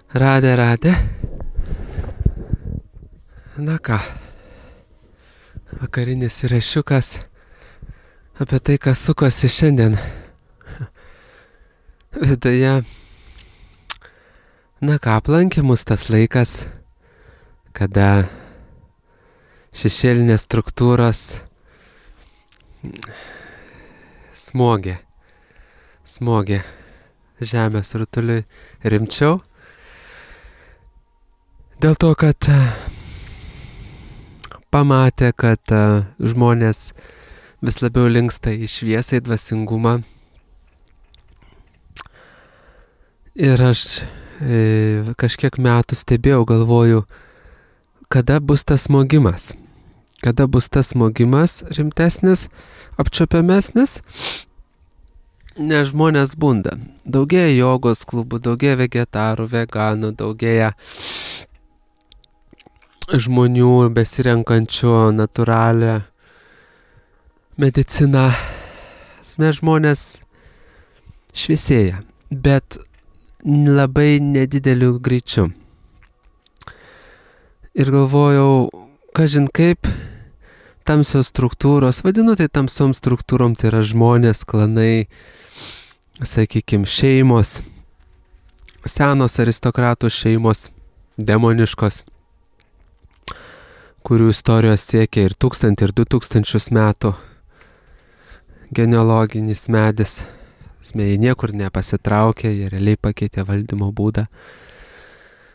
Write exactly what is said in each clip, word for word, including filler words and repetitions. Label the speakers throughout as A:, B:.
A: Radė, radė. Na ką, vakarinis įrašiukas apie tai, kas sukosi šiandien viduje. Na ką, aplankė mus tas laikas, kada šešėlinės struktūros smogė, smogė žemės rutuliui rimčiau. Dėl to, kad pamatė, kad žmonės vis labiau linksta į šviesą, į dvasingumą. Ir aš e, kažkiek metų stebėjau, galvoju, kada bus tas smogimas. Kada bus tas smogimas rimtesnis, apčiuopiamesnis, nes žmonės bunda. Daugėja jogos klubų, daugėja vegetarų, veganų, daugėja žmonių besirenkančių natūralią mediciną. Mes žmonės šviesėja, bet labai nedideliu greičiu. Ir galvojau, kažin kaip tamsios struktūros, vadinu tai tamsiom struktūrom, tai yra žmonės, klanai, sakykime, šeimos, senos aristokratų šeimos, demoniškos, kurių istorijos siekia ir tūkstantį, ir du tūkstančius metų. Genealoginis medis. Jie niekur nepasitraukė, jie realiai pakeitė valdymo būdą.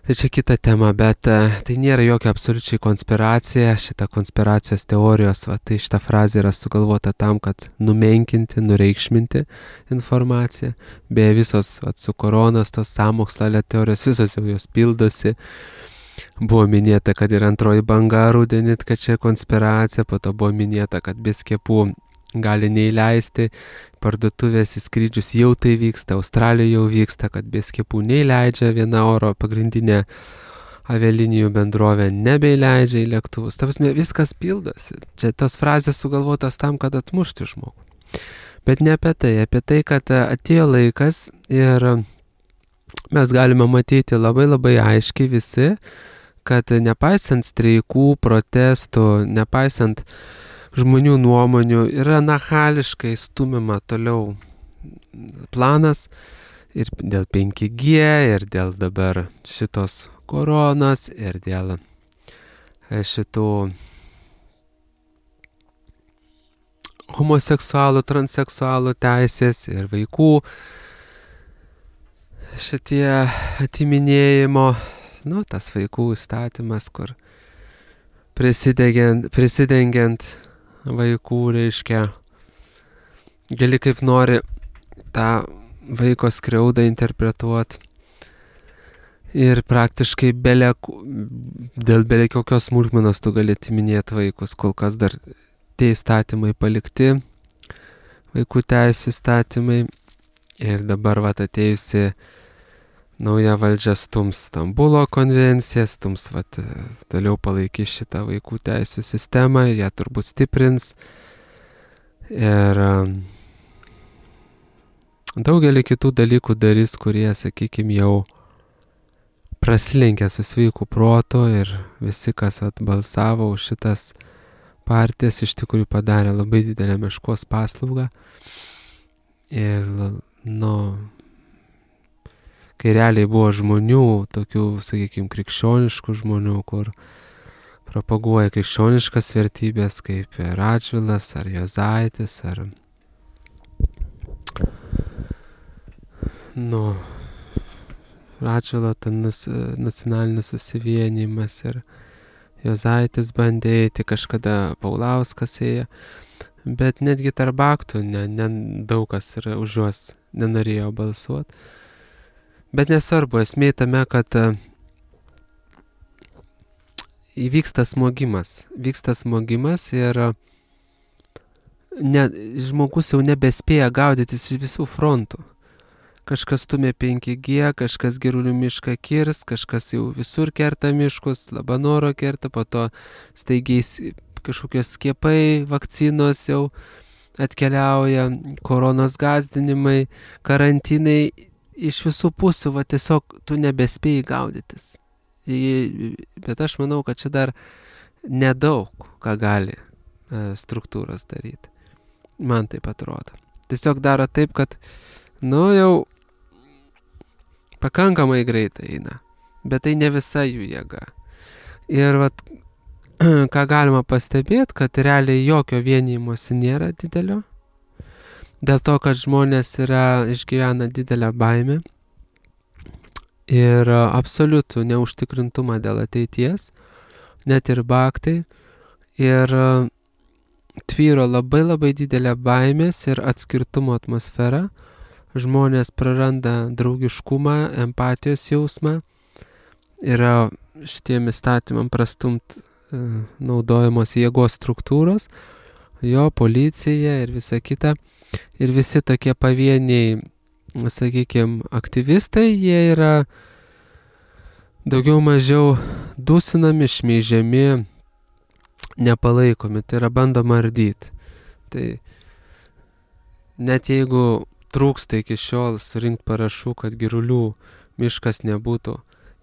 A: Tai čia kita tema, bet tai nėra jokia absoliučiai konspiracija. Šita konspiracijos teorijos, va, tai šita frazė yra sugalvota tam, kad numenkinti, nureikšminti informaciją. Beje, visos va, su koronas, tos sąmokslo teorijos, visos jau jos pildosi. Buvo minėta, kad ir antroji banga rudenį, kad čia konspiracija, po to buvo minėta, kad be skiepų gali neįleisti, parduotuvės į skrydžius jau tai vyksta, Australijoje jau vyksta, kad be skiepų neįleidžia, viena oro pagrindinė avialinijų bendrovė nebeįleidžia į lėktuvus. Ta prasme, viskas pildosi. Čia tos frazės sugalvotos tam, kad atmušti žmogų. Bet ne apie tai, apie tai, kad atėjo laikas ir mes galime matyti labai labai aiškiai visi, kad nepaisant streikų, protestų, nepaisant žmonių nuomonių, yra nachališkai stumima toliau planas ir dėl penki G, ir dėl dabar šitos koronos, ir dėl šitų homoseksualų, transseksualų teisės ir vaikų šitie atiminėjimo, nu, tas vaikų įstatymas, kur prisidengiant, prisidengiant vaikų, reiškia, gali kaip nori tą vaiko skriaudą interpretuoti ir praktiškai bele, dėl beveik kokios smulkmenos tu gali atiminėti vaikus. Kol kas dar tie įstatymai palikti, vaikų teisų įstatymai, ir dabar vat atėjusi nauja valdžia stums Stambulo konvenciją, stums vat, toliau palaikys šitą vaikų teisų sistemą, ją turbūt stiprins. Ir daugelį kitų dalykų darys, kurie, sakykime, jau prasilenkia su sveiku protu, ir visi, kas vat, balsavo už šitas partijas, iš tikrųjų padarė labai didelę meškos paslaugą. Ir, nu, kai realiai buvo žmonių, tokių, sakykime, krikščioniškų žmonių, kur propaguoja krikščioniškas vertybės, kaip Radžvilas, ar Juozaitis, ar, nu, Radžvilo tas nacionalinis susivienijimas, ir Juozaitis bandė eiti, kažkada Paulauskas ėjo, bet netgi tarp aktų ne, ne, daug kas yra už juos nenorėjo balsuoti. Bet nesvarbu, esmė tame, kad įvyksta smogimas. Vyksta smogimas ir ne, žmogus jau nebespėja gaudytis iš visų frontų. Kažkas stumia penki G, kažkas Girulių mišką kirs, kažkas jau visur kerta miškus, Labanoro kerta, po to staigiai kažkokios skiepai, vakcinos jau atkeliauja, koronos gąsdinimai, karantinai. iš visų pusių, va tiesiog tu nebespėjai gaudytis. Bet aš manau, kad čia dar nedaug ką gali struktūros daryti. Man taip atrodo. Tiesiog daro taip, kad, nu, jau pakankamai greitai eina. Bet tai ne visa jų jėga. Ir vat, ką galima pastebėti, kad realiai jokio vienijimosi nėra didelio. Dėl to, kad žmonės yra išgyvena didelę baimę ir absoliutų neužtikrintumą dėl ateities, net ir baktai. Ir tvyro labai labai didelė baimės ir atskirtumo atmosfera. Žmonės praranda draugiškumą, empatijos jausmą. Yra šitiem įstatymam prastumt e, naudojamos jėgos struktūros, jo, policija ir visa kita. Ir visi tokie pavieniai, sakykime, aktyvistai, jie yra daugiau mažiau dusinami, šmeižiami, nepalaikomi, tai yra bandoma ardyti. Tai net jeigu trūksta iki šiol surinkti parašų, kad Girulių miškas nebūtų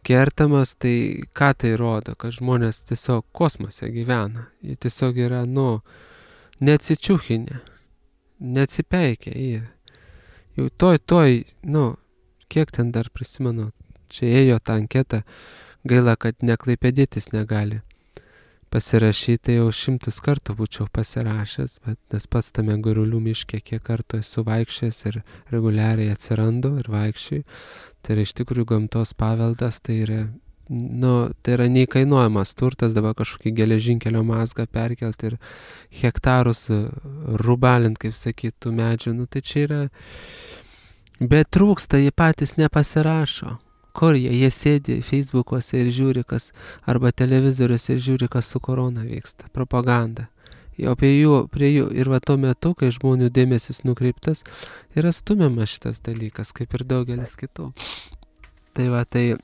A: kertamas, tai ką tai rodo, kad žmonės tiesiog kosmose gyvena. Jie tiesiog yra, nu, neatsičiūchinę, neatsipeikia. Ir jau toj, toj, nu, kiek ten dar prisimenu, čia ėjo tą anketą, gaila, kad neklaipėdėtis negali pasirašyti, jau šimtus kartų būčiau pasirašęs, bet nes pats tame Girulių miške kiek kartų esu vaikščiojęs ir reguliariai atsirandu ir vaikščiui. Tai yra iš tikrųjų gamtos paveldas, tai yra, nu, tai yra neįkainuojamas turtas, dabar kažkokį geležinkelio mazgą perkelti ir hektarus rubalint, kaip sakytų, medžių, nu tai čia yra, bet trūksta, jie patys nepasirašo. Kur jie? Jie sėdi Facebook'uose ir žiūri, kas, arba televizoriuose ir žiūri, kas su korona vyksta. Propaganda. O prie jų, prie jų, ir va tuo metu, kai žmonių dėmesys nukreiptas, yra stumiamas šitas dalykas, kaip ir daugelis kitų. Tai va, tai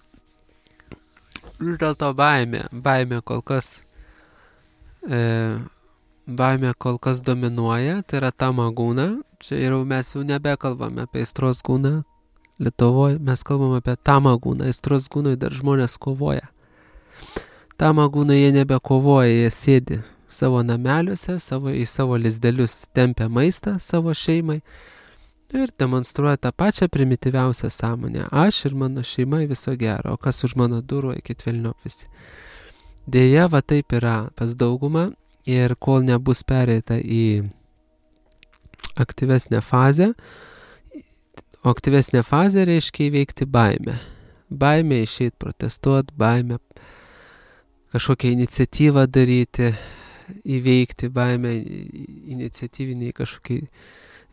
A: vis dėlto baimė, baimė kol kas, e, baimė kol kas dominuoja, tai yra tamagūna. Čia jau mes jau nebekalbame apie aistros gūną. Lietuvoje mes kalbam apie tamagūną, aistros gūnui dar žmonės kovoja. Tamagūnai jie nebekovoja, jie sėdi savo nameliuose, savo, į savo lizdelius tempia maistą savo šeimai ir demonstruoja tą pačią primityviausią sąmonę. Aš ir mano šeima viso gero, o kas už mano durų, eikit velniop visi. Deja, va taip yra pas daugumą ir kol nebus pereita į aktyvesnę fazę, o aktyvesnė fazė reiškia įveikti baimę. Baimė išeit protestuoti, baimė kažkokią iniciatyvą daryti, įveikti baimę iniciatyviniai kažkokiai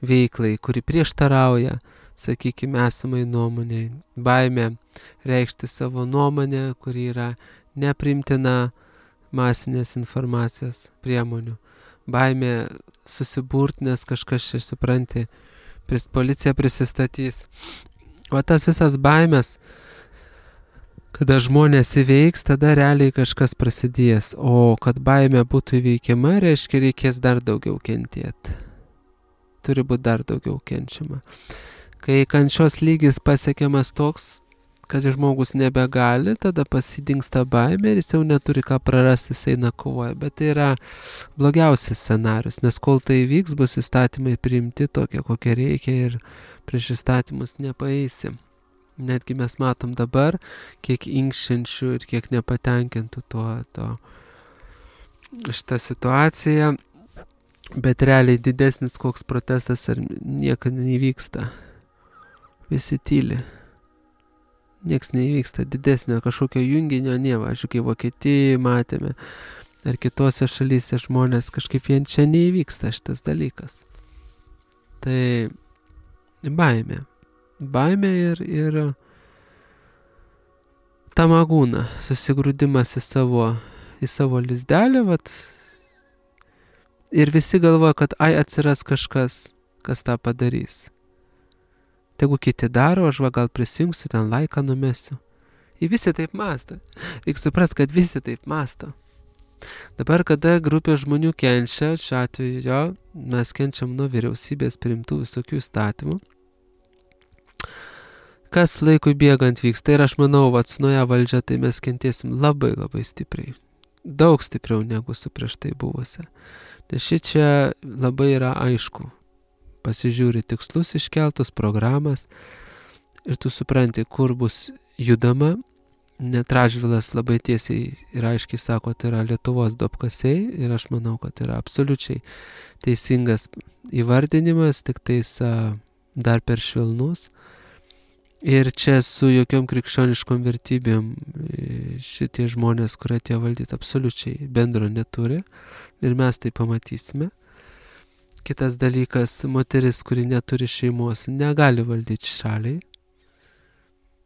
A: veiklai, kuri prieštarauja, sakykime, esamai nuomonei. Baimė reikšti savo nuomonę, kuri yra nepriimtina masinės informacijos priemonių. Baimė susiburti, nes kažkas čia supranti, policija prisistatys. O tas visas baimės, kada žmonės įveiks, tada realiai kažkas prasidės. O kad baimė būtų įveikiama, reiškia reikės dar daugiau kentėti. Turi būti dar daugiau kenčiama. Kai kančios lygis pasiekiamas toks, kad žmogus nebegali, tada pasidingsta baimė ir jis jau neturi ką prarasti, jis eina kovoja. Bet tai yra blogiausias scenarius, nes kol tai vyks, bus įstatymai priimti tokie, kokie reikia ir prieš įstatymus nepaeisim. Netgi mes matom dabar, kiek inkščiančių ir kiek nepatenkintų tuo, to, šitą situaciją, bet realiai didesnis koks protestas ar niekada nevyksta. Visi tyli. Niekas neįvyksta, didesnio kažkokio junginio nėva. Aš kai Vokietijoje matėme, ar kitose šalyse žmonės kažkaip vien čia neįvyksta šitas dalykas. Tai baimė. Baimė ir, ir tamagūna, susigrūdimas į savo, į savo lizdelį, vat, ir visi galvoja, kad ai atsiras kažkas, kas tą padarys. Tegu kiti daro, aš va gal prisijungsiu, ten laiką numesiu. Ir visi taip mąsto. Reikia suprasti, kad visi taip mąsto. Dabar, kada grupė žmonių kenčia, šiuo atveju jo, mes kenčiam nuo vyriausybės priimtų visokių įstatymų, kas laikui bėgant vyksta. Ir aš manau, vat su nauja valdžia tai mes kentėsim labai labai stipriai. Daug stipriau negu su prieš tai buvusia. Nes šičia labai yra aišku. Pasižiūri tikslus iškeltus, programas ir tu supranti, kur bus judama. Net Radžvilas labai tiesiai ir aiškiai sako, tai yra Lietuvos duobkasiai ir aš manau, kad yra absoliučiai teisingas įvardinimas, tik tais a, dar per švelnus. Ir čia su jokiom krikščioniškom vertybėm šitie žmonės, kurie tie valdyti, absoliučiai bendro neturi ir mes tai pamatysime. Kitas dalykas, moteris, kuri neturi šeimos, negali valdyti šaliai.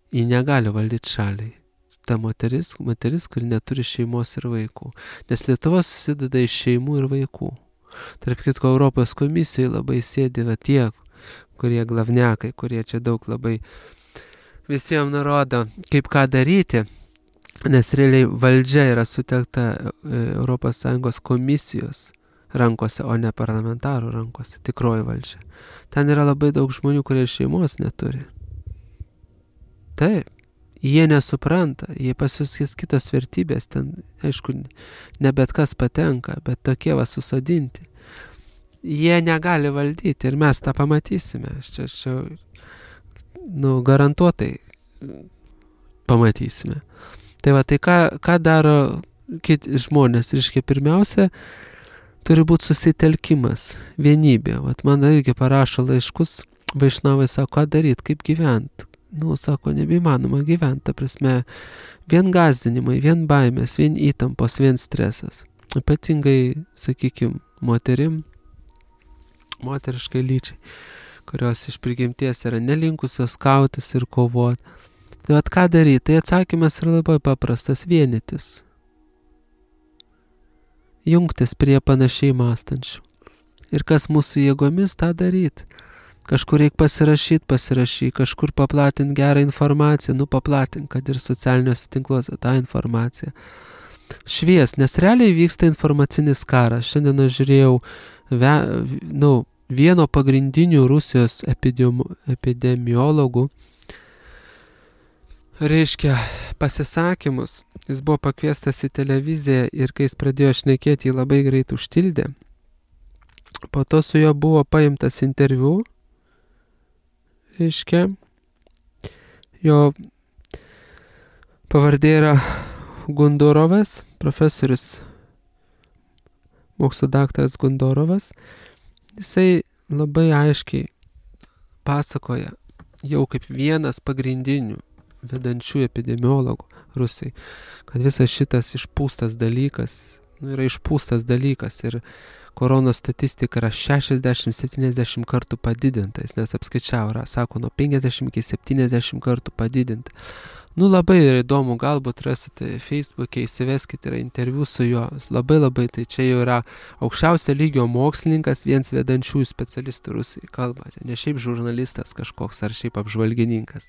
A: Ji negali valdyti šaliai. Ta moteris, moteris, kuri neturi šeimos ir vaikų. Nes Lietuva susideda iš šeimų ir vaikų. Tarp kitko, Europos komisijoje labai sėdi va tie, kurie glavnekai, kurie čia daug labai visiems nurodo, kaip ką daryti, nes realiai valdžia yra sutelkta Europos Sąjungos komisijos rankose, o ne parlamentarų rankose, tikroji valdžia. Ten yra labai daug žmonių, kurie šeimos neturi. Taip, jie nesupranta, jie pasiūskės kitos vertybės, ten, aišku, ne bet kas patenka, bet tokie va susodinti. Jie negali valdyti ir mes tą pamatysime. Čia, čia nu, garantuotai pamatysime. Tai va, tai ką, ką daro kiti žmonės? Reiškia, pirmiausia, turi būti susitelkimas, vienybė. Vat man irgi parašo laiškus, vaišnavai sako, ką daryti, kaip gyventi. Nu, sako, nebeįmanoma gyventi, ta prasme, vien gąsdinimai, vien baimės, vien įtampos, vien stresas. Ypatingai, sakykime, moterim, moteriškai lyčiai, kurios iš prigimties yra nelinkusios kautis ir kovoti. Tai vat ką daryti? Tai atsakymas yra labai paprastas, vienytis. Jungtis prie panašiai mąstančių. Ir kas mūsų jėgomis, tą daryti. Kažkur reikia pasirašyti, pasirašyti, kažkur paplatinti gerą informaciją, nu paplatinti, kad ir socialiniuose tinkluose tą informaciją. Švies, nes realiai vyksta informacinis karas. Šiandien aš žiūrėjau ve, nu, vieno pagrindinių Rusijos epidemiologų, reiškia, pasisakymus. Jis buvo pakviestas į televiziją ir kai jis pradėjo šnekėti, jį labai greit užtildė. Po to su juo buvo paimtas interviu. Reiškia, jo pavardė yra Gundorovas, profesorius, mokslo daktaras Gundorovas. Jisai labai aiškiai pasakoja, jau kaip vienas pagrindinių vedančių epidemiologų Rusijai, kad visas šitas išpūstas dalykas, nu, yra išpūstas dalykas ir koronos statistika yra šešiasdešimt septyniasdešimt kartų padidinta, jis nes apskaičiavo, yra, sako, nuo penkiasdešimt iki septyniasdešimt kartų padidinta. Nu, labai yra įdomu, galbūt rasite Facebook'e, įsiveskite, yra interviu su juo, labai labai, tai čia jau yra aukščiausio lygio mokslininkas, vienas vedančiųjų specialistų Rusijai kalba, ne šiaip žurnalistas kažkoks ar šiaip apžvalgininkas.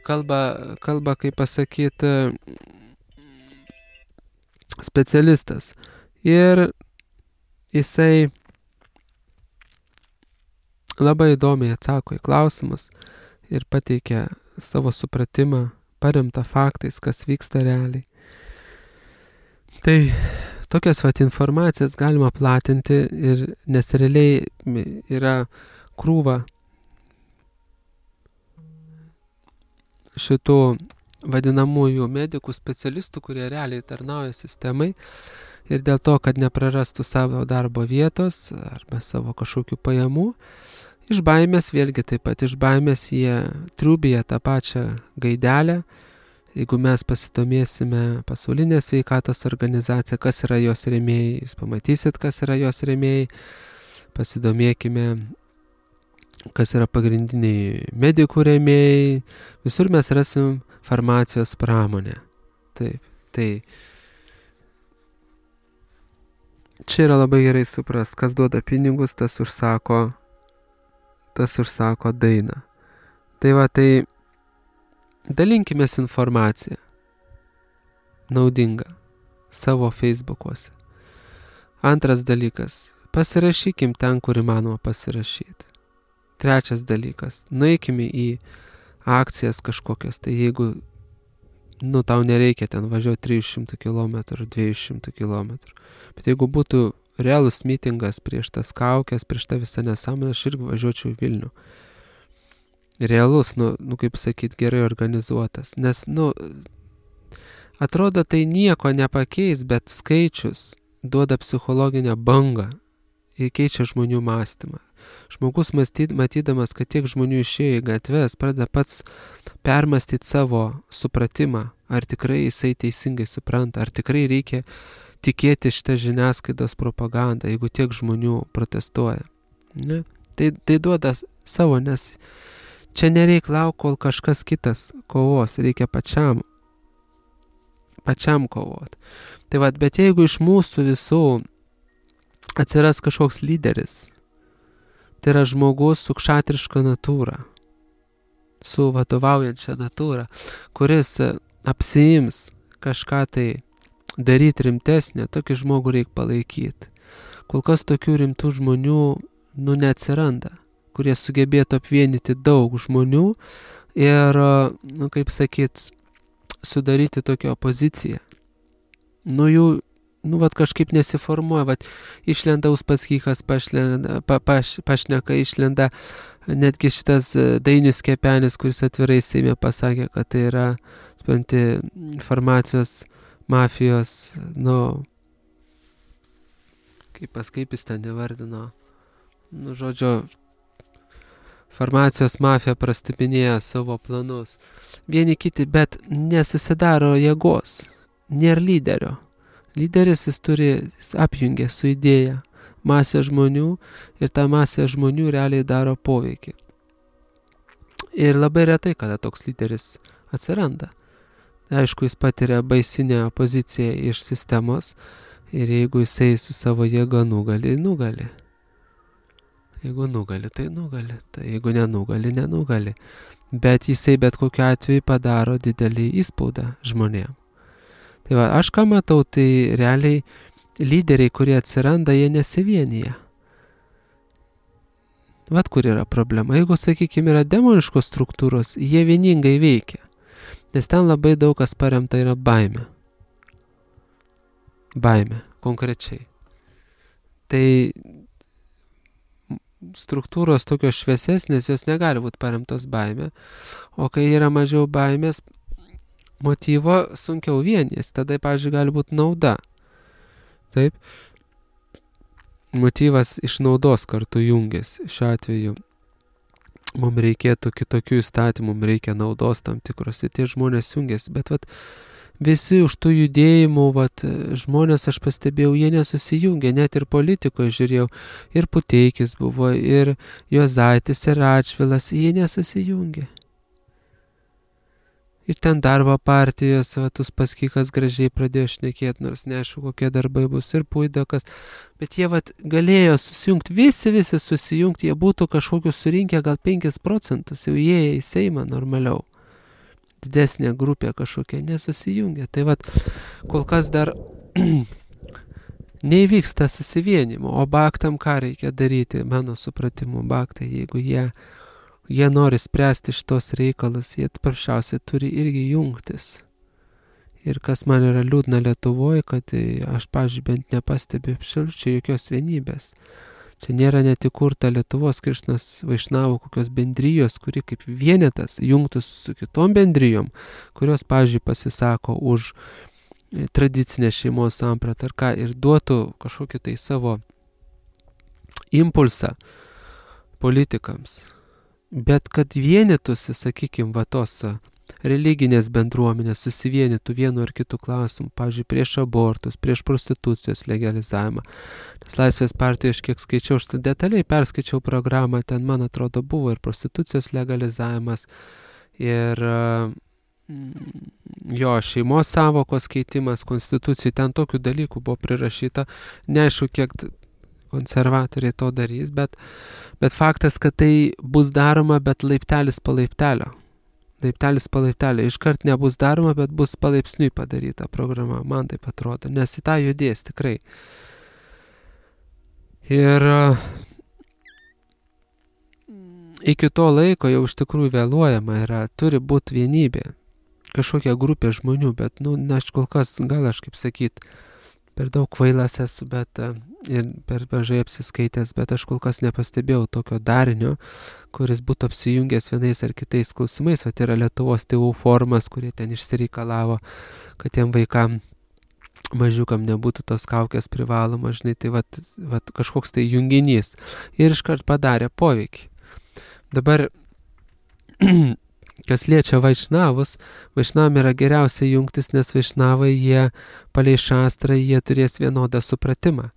A: Kalba, kalba kaip pasakyti, specialistas. Ir jisai labai įdomiai atsako į klausimus ir pateikia savo supratimą, paremtą faktais, kas vyksta realiai. Tai tokias vat informacijas galima platinti, ir, nes realiai yra krūva šitų vadinamųjų medikų specialistų, kurie realiai tarnauja sistemai. Ir dėl to, kad neprarastų savo darbo vietos arba savo kažkokių pajamų, iš baimės, vėlgi taip pat iš baimės jie triūbija tą pačią gaidelę. Jeigu mes pasidomėsime pasaulinę sveikatos organizaciją, kas yra jos rėmėjai, jūs pamatysit, kas yra jos rėmėjai, pasidomėkime, kas yra pagrindiniai medikų rėmėjai, visur mes rasim farmacijos pramonę. Taip, tai čia yra labai gerai suprast, kas duoda pinigus, tas užsako, tas užsako dainą. Tai va, tai dalinkimės informaciją naudingą savo Facebookuose. Antras dalykas, pasirašykim ten, kur įmanoma pasirašyti. Trečias dalykas, nueikime į akcijas kažkokias, tai jeigu, nu, tau nereikia ten važiuoti trijų šimtų kilometrų, dviejų šimtų kilometrų. Bet jeigu būtų realus mitingas prieš tas kaukės, prieš tą visą nesąmonę, aš irgi važiuočiau į Vilnių. Realus, nu, nu kaip sakyt, gerai organizuotas. Nes, nu, atrodo, tai nieko nepakeis, bet skaičius duoda psichologinę bangą ir keičia žmonių mąstymą. Žmogus mąstyd, matydamas, kad tiek žmonių išėjo į gatves, pradeda pats permastyti savo supratimą, ar tikrai jisai teisingai supranta, ar tikrai reikia tikėti šitą žiniasklaidos propagandą, jeigu tiek žmonių protestuoja. Ne? Tai, tai duoda savo, nes čia nereik lauk, kol kažkas kitas kovos, reikia pačiam, pačiam kovoti. Tai va, bet jeigu iš mūsų visų atsiras kažkoks lyderis, tai yra žmogus su kšatriška natūra, su vadovaujančia natūra, kuris apsiims kažką tai daryti rimtesnio, tokį žmogų reikia palaikyti. Kol kas tokių rimtų žmonių, nu, neatsiranda, kurie sugebėtų apvienyti daug žmonių ir, nu, kaip sakyt, sudaryti tokią opoziciją. Nu, jų, nu, vat kažkaip nesiformuoja, vat išlenda Uspaskichas, pašlenda, pa, paš, pašneka, išlenda netgi šitas Dainius Kepenis, kuris atvirai Seime pasakė, kad tai yra, supranti, farmacijos mafijos, nu, kaip pas, kaip jis ten nevardino, nu, žodžio, farmacijos mafija prastipinėja savo planus. Vieni kiti, bet nesusidaro jėgos, nėra lyderio. Lyderis jis turi, jis apjungia su idėja masę žmonių ir ta masė žmonių realiai daro poveikį. Ir labai retai, kada toks lyderis atsiranda. Aišku, jis patiria baisinę opoziciją iš sistemos ir jeigu jisai su savo jėga nugali, nugali. Jeigu nugali, tai nugali. Tai jeigu nenugali, nenugali. Bet jisai bet kokiu atveju padaro didelį įspaudą žmonėm. Tai va, aš ką matau, tai realiai lyderiai, kurie atsiranda, jie nesivienyje. Vat kur yra problema. Jeigu, sakykime, yra demoniškos struktūros, jie vieningai veikia. Nes ten labai daug kas paremta yra baime. Baime, konkrečiai. Tai struktūros tokios šviesesnės, jos negali būti paremtos baime. O kai yra mažiau baimės, motyvo sunkiau vienys. Tada, pavyzdžiui, gali būti nauda. Taip. Motyvas iš naudos kartu jungiasi. Šiuo atveju mums reikėtų kitokių įstatymų, mums reikia naudos tam tikros. Ir tie žmonės jungiasi. Bet vat, visi už tų judėjimų, vat, žmonės, aš pastebėjau, jie nesusijungia. Net ir politikoje žiūrėjau. Ir Puteikis buvo, ir Juozaitis, ir Radžvilas. Jie nesusijungia. Ir ten darbo partijos, vat, Uspaskichas gražiai pradėjo šnekėti, nors neaišku, kokie darbai bus, ir Puidokas. Bet jie vat, galėjo susijungti, visi, visi susijungti, jie būtų kažkokius surinkę gal penkis procentus, jau jie į Seimą normaliau. Didesnė grupė kažkokia nesusijungia. Tai vat, kol kas dar neįvyksta susivienimo, o baktam ką reikia daryti, mano supratimu, baktai, jeigu jie Jie nori spręsti šitos reikalus, jie paprasčiausiai turi irgi jungtis. Ir kas man yra liūdna Lietuvoje, kad aš, pavyzdžiui, bent nepastebiu absoliučiai jokios vienybės. Čia nėra net įkurta Lietuvos Krišnos Vaišnavų kokios bendrijos, kuri kaip vienetas jungtus su kitom bendrijom, kurios, pavyzdžiui, pasisako už tradicinę šeimos sampratą ar ką ir duotų kažkokį tai savo impulsą politikams. Bet kad vienytųsi, sakykime, va tos religinės bendruomenės susivienytų vienu ar kitų klausimų, pavyzdžiui, prieš abortus, prieš prostitucijos legalizavimą. Nes Laisvės partijoje, aš kiek skaičiau, aš detaliai perskaičiau programą, ten, man atrodo, buvo ir prostitucijos legalizavimas, ir jo šeimos savokos keitimas, konstitucijai, ten tokių dalykų buvo prirašyta, neaišku, kiek konservatoriai to darys, bet, bet faktas, kad tai bus daroma, bet laiptelis po laiptelio. Laiptelis po laiptelio. Iškart nebus daroma, bet bus palaipsniui padaryta programa, man taip atrodo, nes į tą judės tikrai. Ir, iki to laiko jau iš tikrųjų vėluojama yra, turi būti vienybė, kažkokia grupė žmonių, bet, nu, na, aš kol kas, gal aš kaip sakyt, per daug kvailas esu, bet ir per mažai apsiskaitęs, bet aš kol kas nepastebėjau tokio darinio, kuris būtų apsijungęs vienais ar kitais klausimais, o tai yra Lietuvos tėvų forumas, kurie ten išsireikalavo, kad tiem vaikam mažiukam nebūtų tos kaukės privaloma, žinai, tai vat, vat kažkoks tai junginys ir iškart padarė poveikį. Dabar kas liečia vaišnavus, vaišnavam yra geriausia jungtis, nes vaišnavai jie palei šastrą, jie turės vienodą supratimą.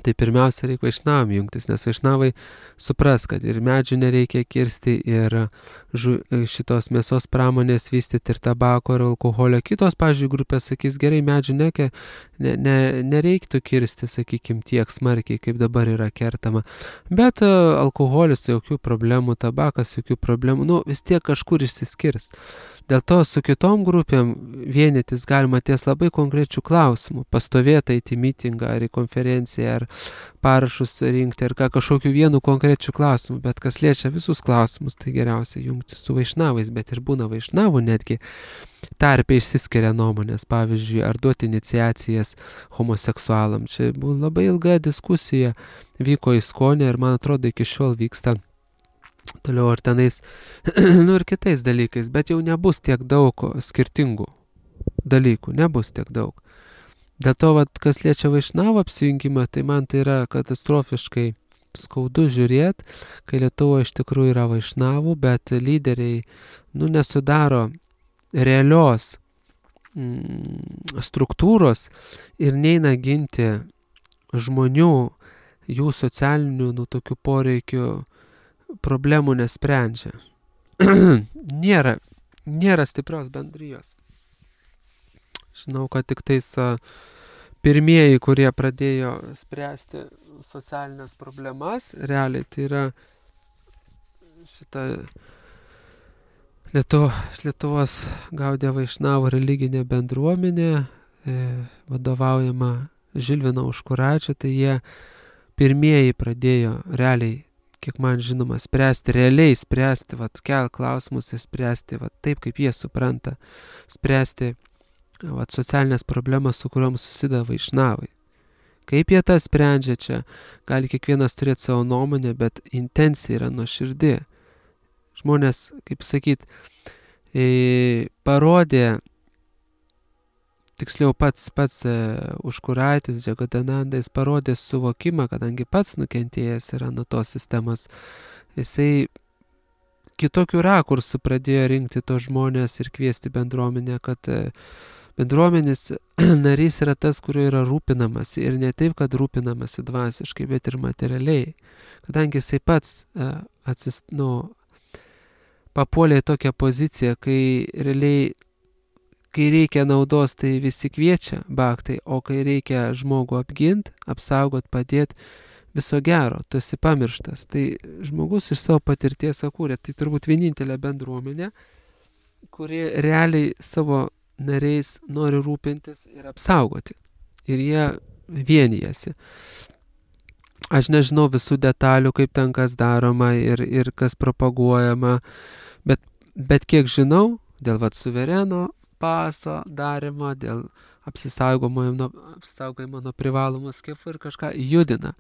A: Tai pirmiausia reikia vaišnavam jungtis, nes vaišnavai supras, kad ir medžių nereikia kirsti, ir žu, šitos mėsos pramonės vystyti, ir tabako, ir alkoholio. Kitos, pavyzdžiui, grupės sakys, gerai, medžių neke, ne, ne, nereiktų kirsti, sakykim, tiek smarkiai, kaip dabar yra kertama. Bet uh, alkoholis jokių problemų, tabakas jokių problemų, nu vis tiek kažkur išsiskirs. Dėl to su kitom grupėm vienytis galima ties labai konkrečių klausimų. Pastovėti eiti į mitingą, ar į konferenciją, ar parašus rinkti, ar ką kažkokiu vienu konkrečiu klausimu. Bet kas liečia visus klausimus, tai geriausia jungtis su vaišnavais. Bet ir būna vaišnavų netgi tarpe išsiskiria nuomonės. Pavyzdžiui, ar duoti iniciacijas homoseksualam. Čia buvo labai ilga diskusija, vyko ISKONE ir man atrodo iki šiol vyksta. Toliau ar tenais, nu ir kitais dalykais, bet jau nebus tiek daug skirtingų dalykų, nebus tiek daug. Dėl to, vat, kas liečia vaišnavo apsijungimą, tai man tai yra katastrofiškai skaudu žiūrėti, kai Lietuvoje iš tikrųjų yra vaišnavų, bet lyderiai, nu, nesudaro realios mm, struktūros ir neina ginti žmonių, jų socialinių, nu, tokių poreikių, problemų nesprendžia. nėra, nėra stiprios bendrijos. Žinau, kad tik tais a, pirmieji, kurie pradėjo spręsti socialinės problemas, realiai tai yra šita Lietu, Lietuvos Gaudija Vaišnavų religinė bendruomenė, e, vadovaujama Žilvino Užkuraičio, tai jie pirmieji pradėjo realiai, kiek man žinoma, spręsti, realiai spręsti, vat, kel klausimus ir spręsti, vat, taip, kaip jie supranta, spręsti vat, socialinės problemas, su kuriuom susideda vaišnavai. Kaip jie tą sprendžia čia, gali kiekvienas turėti savo nuomonę, bet intencija yra nuoširdi. Žmonės, kaip sakyt, e, parodė, tiksliau pats, pats e, Užkuraitis, Džagadananda, jis parodė suvokimą, kadangi pats nukentėjęs yra nuo tos sistemos. Jisai kitokių rakursų pradėjo rinkti tos žmonės ir kviesti bendruomenę, kad e, bendruomenės narys yra tas, kurio yra rūpinamasi. Ir ne taip, kad rūpinamasi dvasiškai, bet ir materialiai. Kadangi jisai pats e, atsis, nu, papuolė į tokią poziciją, kai realiai kai reikia naudos, tai visi kviečia bhaktai, o kai reikia žmogų apgint, apsaugot, padėt, viso gero, tu esi pamirštas. Tai žmogus iš savo patirties sakūrė, tai turbūt vienintelė bendruomenė, kuri realiai savo nariais nori rūpintis ir apsaugoti. Ir jie vienijasi. Aš nežinau visų detalių, kaip ten kas daroma ir, ir kas propaguojama, bet, bet kiek žinau, dėl vat suvereno paso darimo, dėl apsisaugojimo nuo, apsisaugojimo nuo privalomų skiepų ir kažką judina.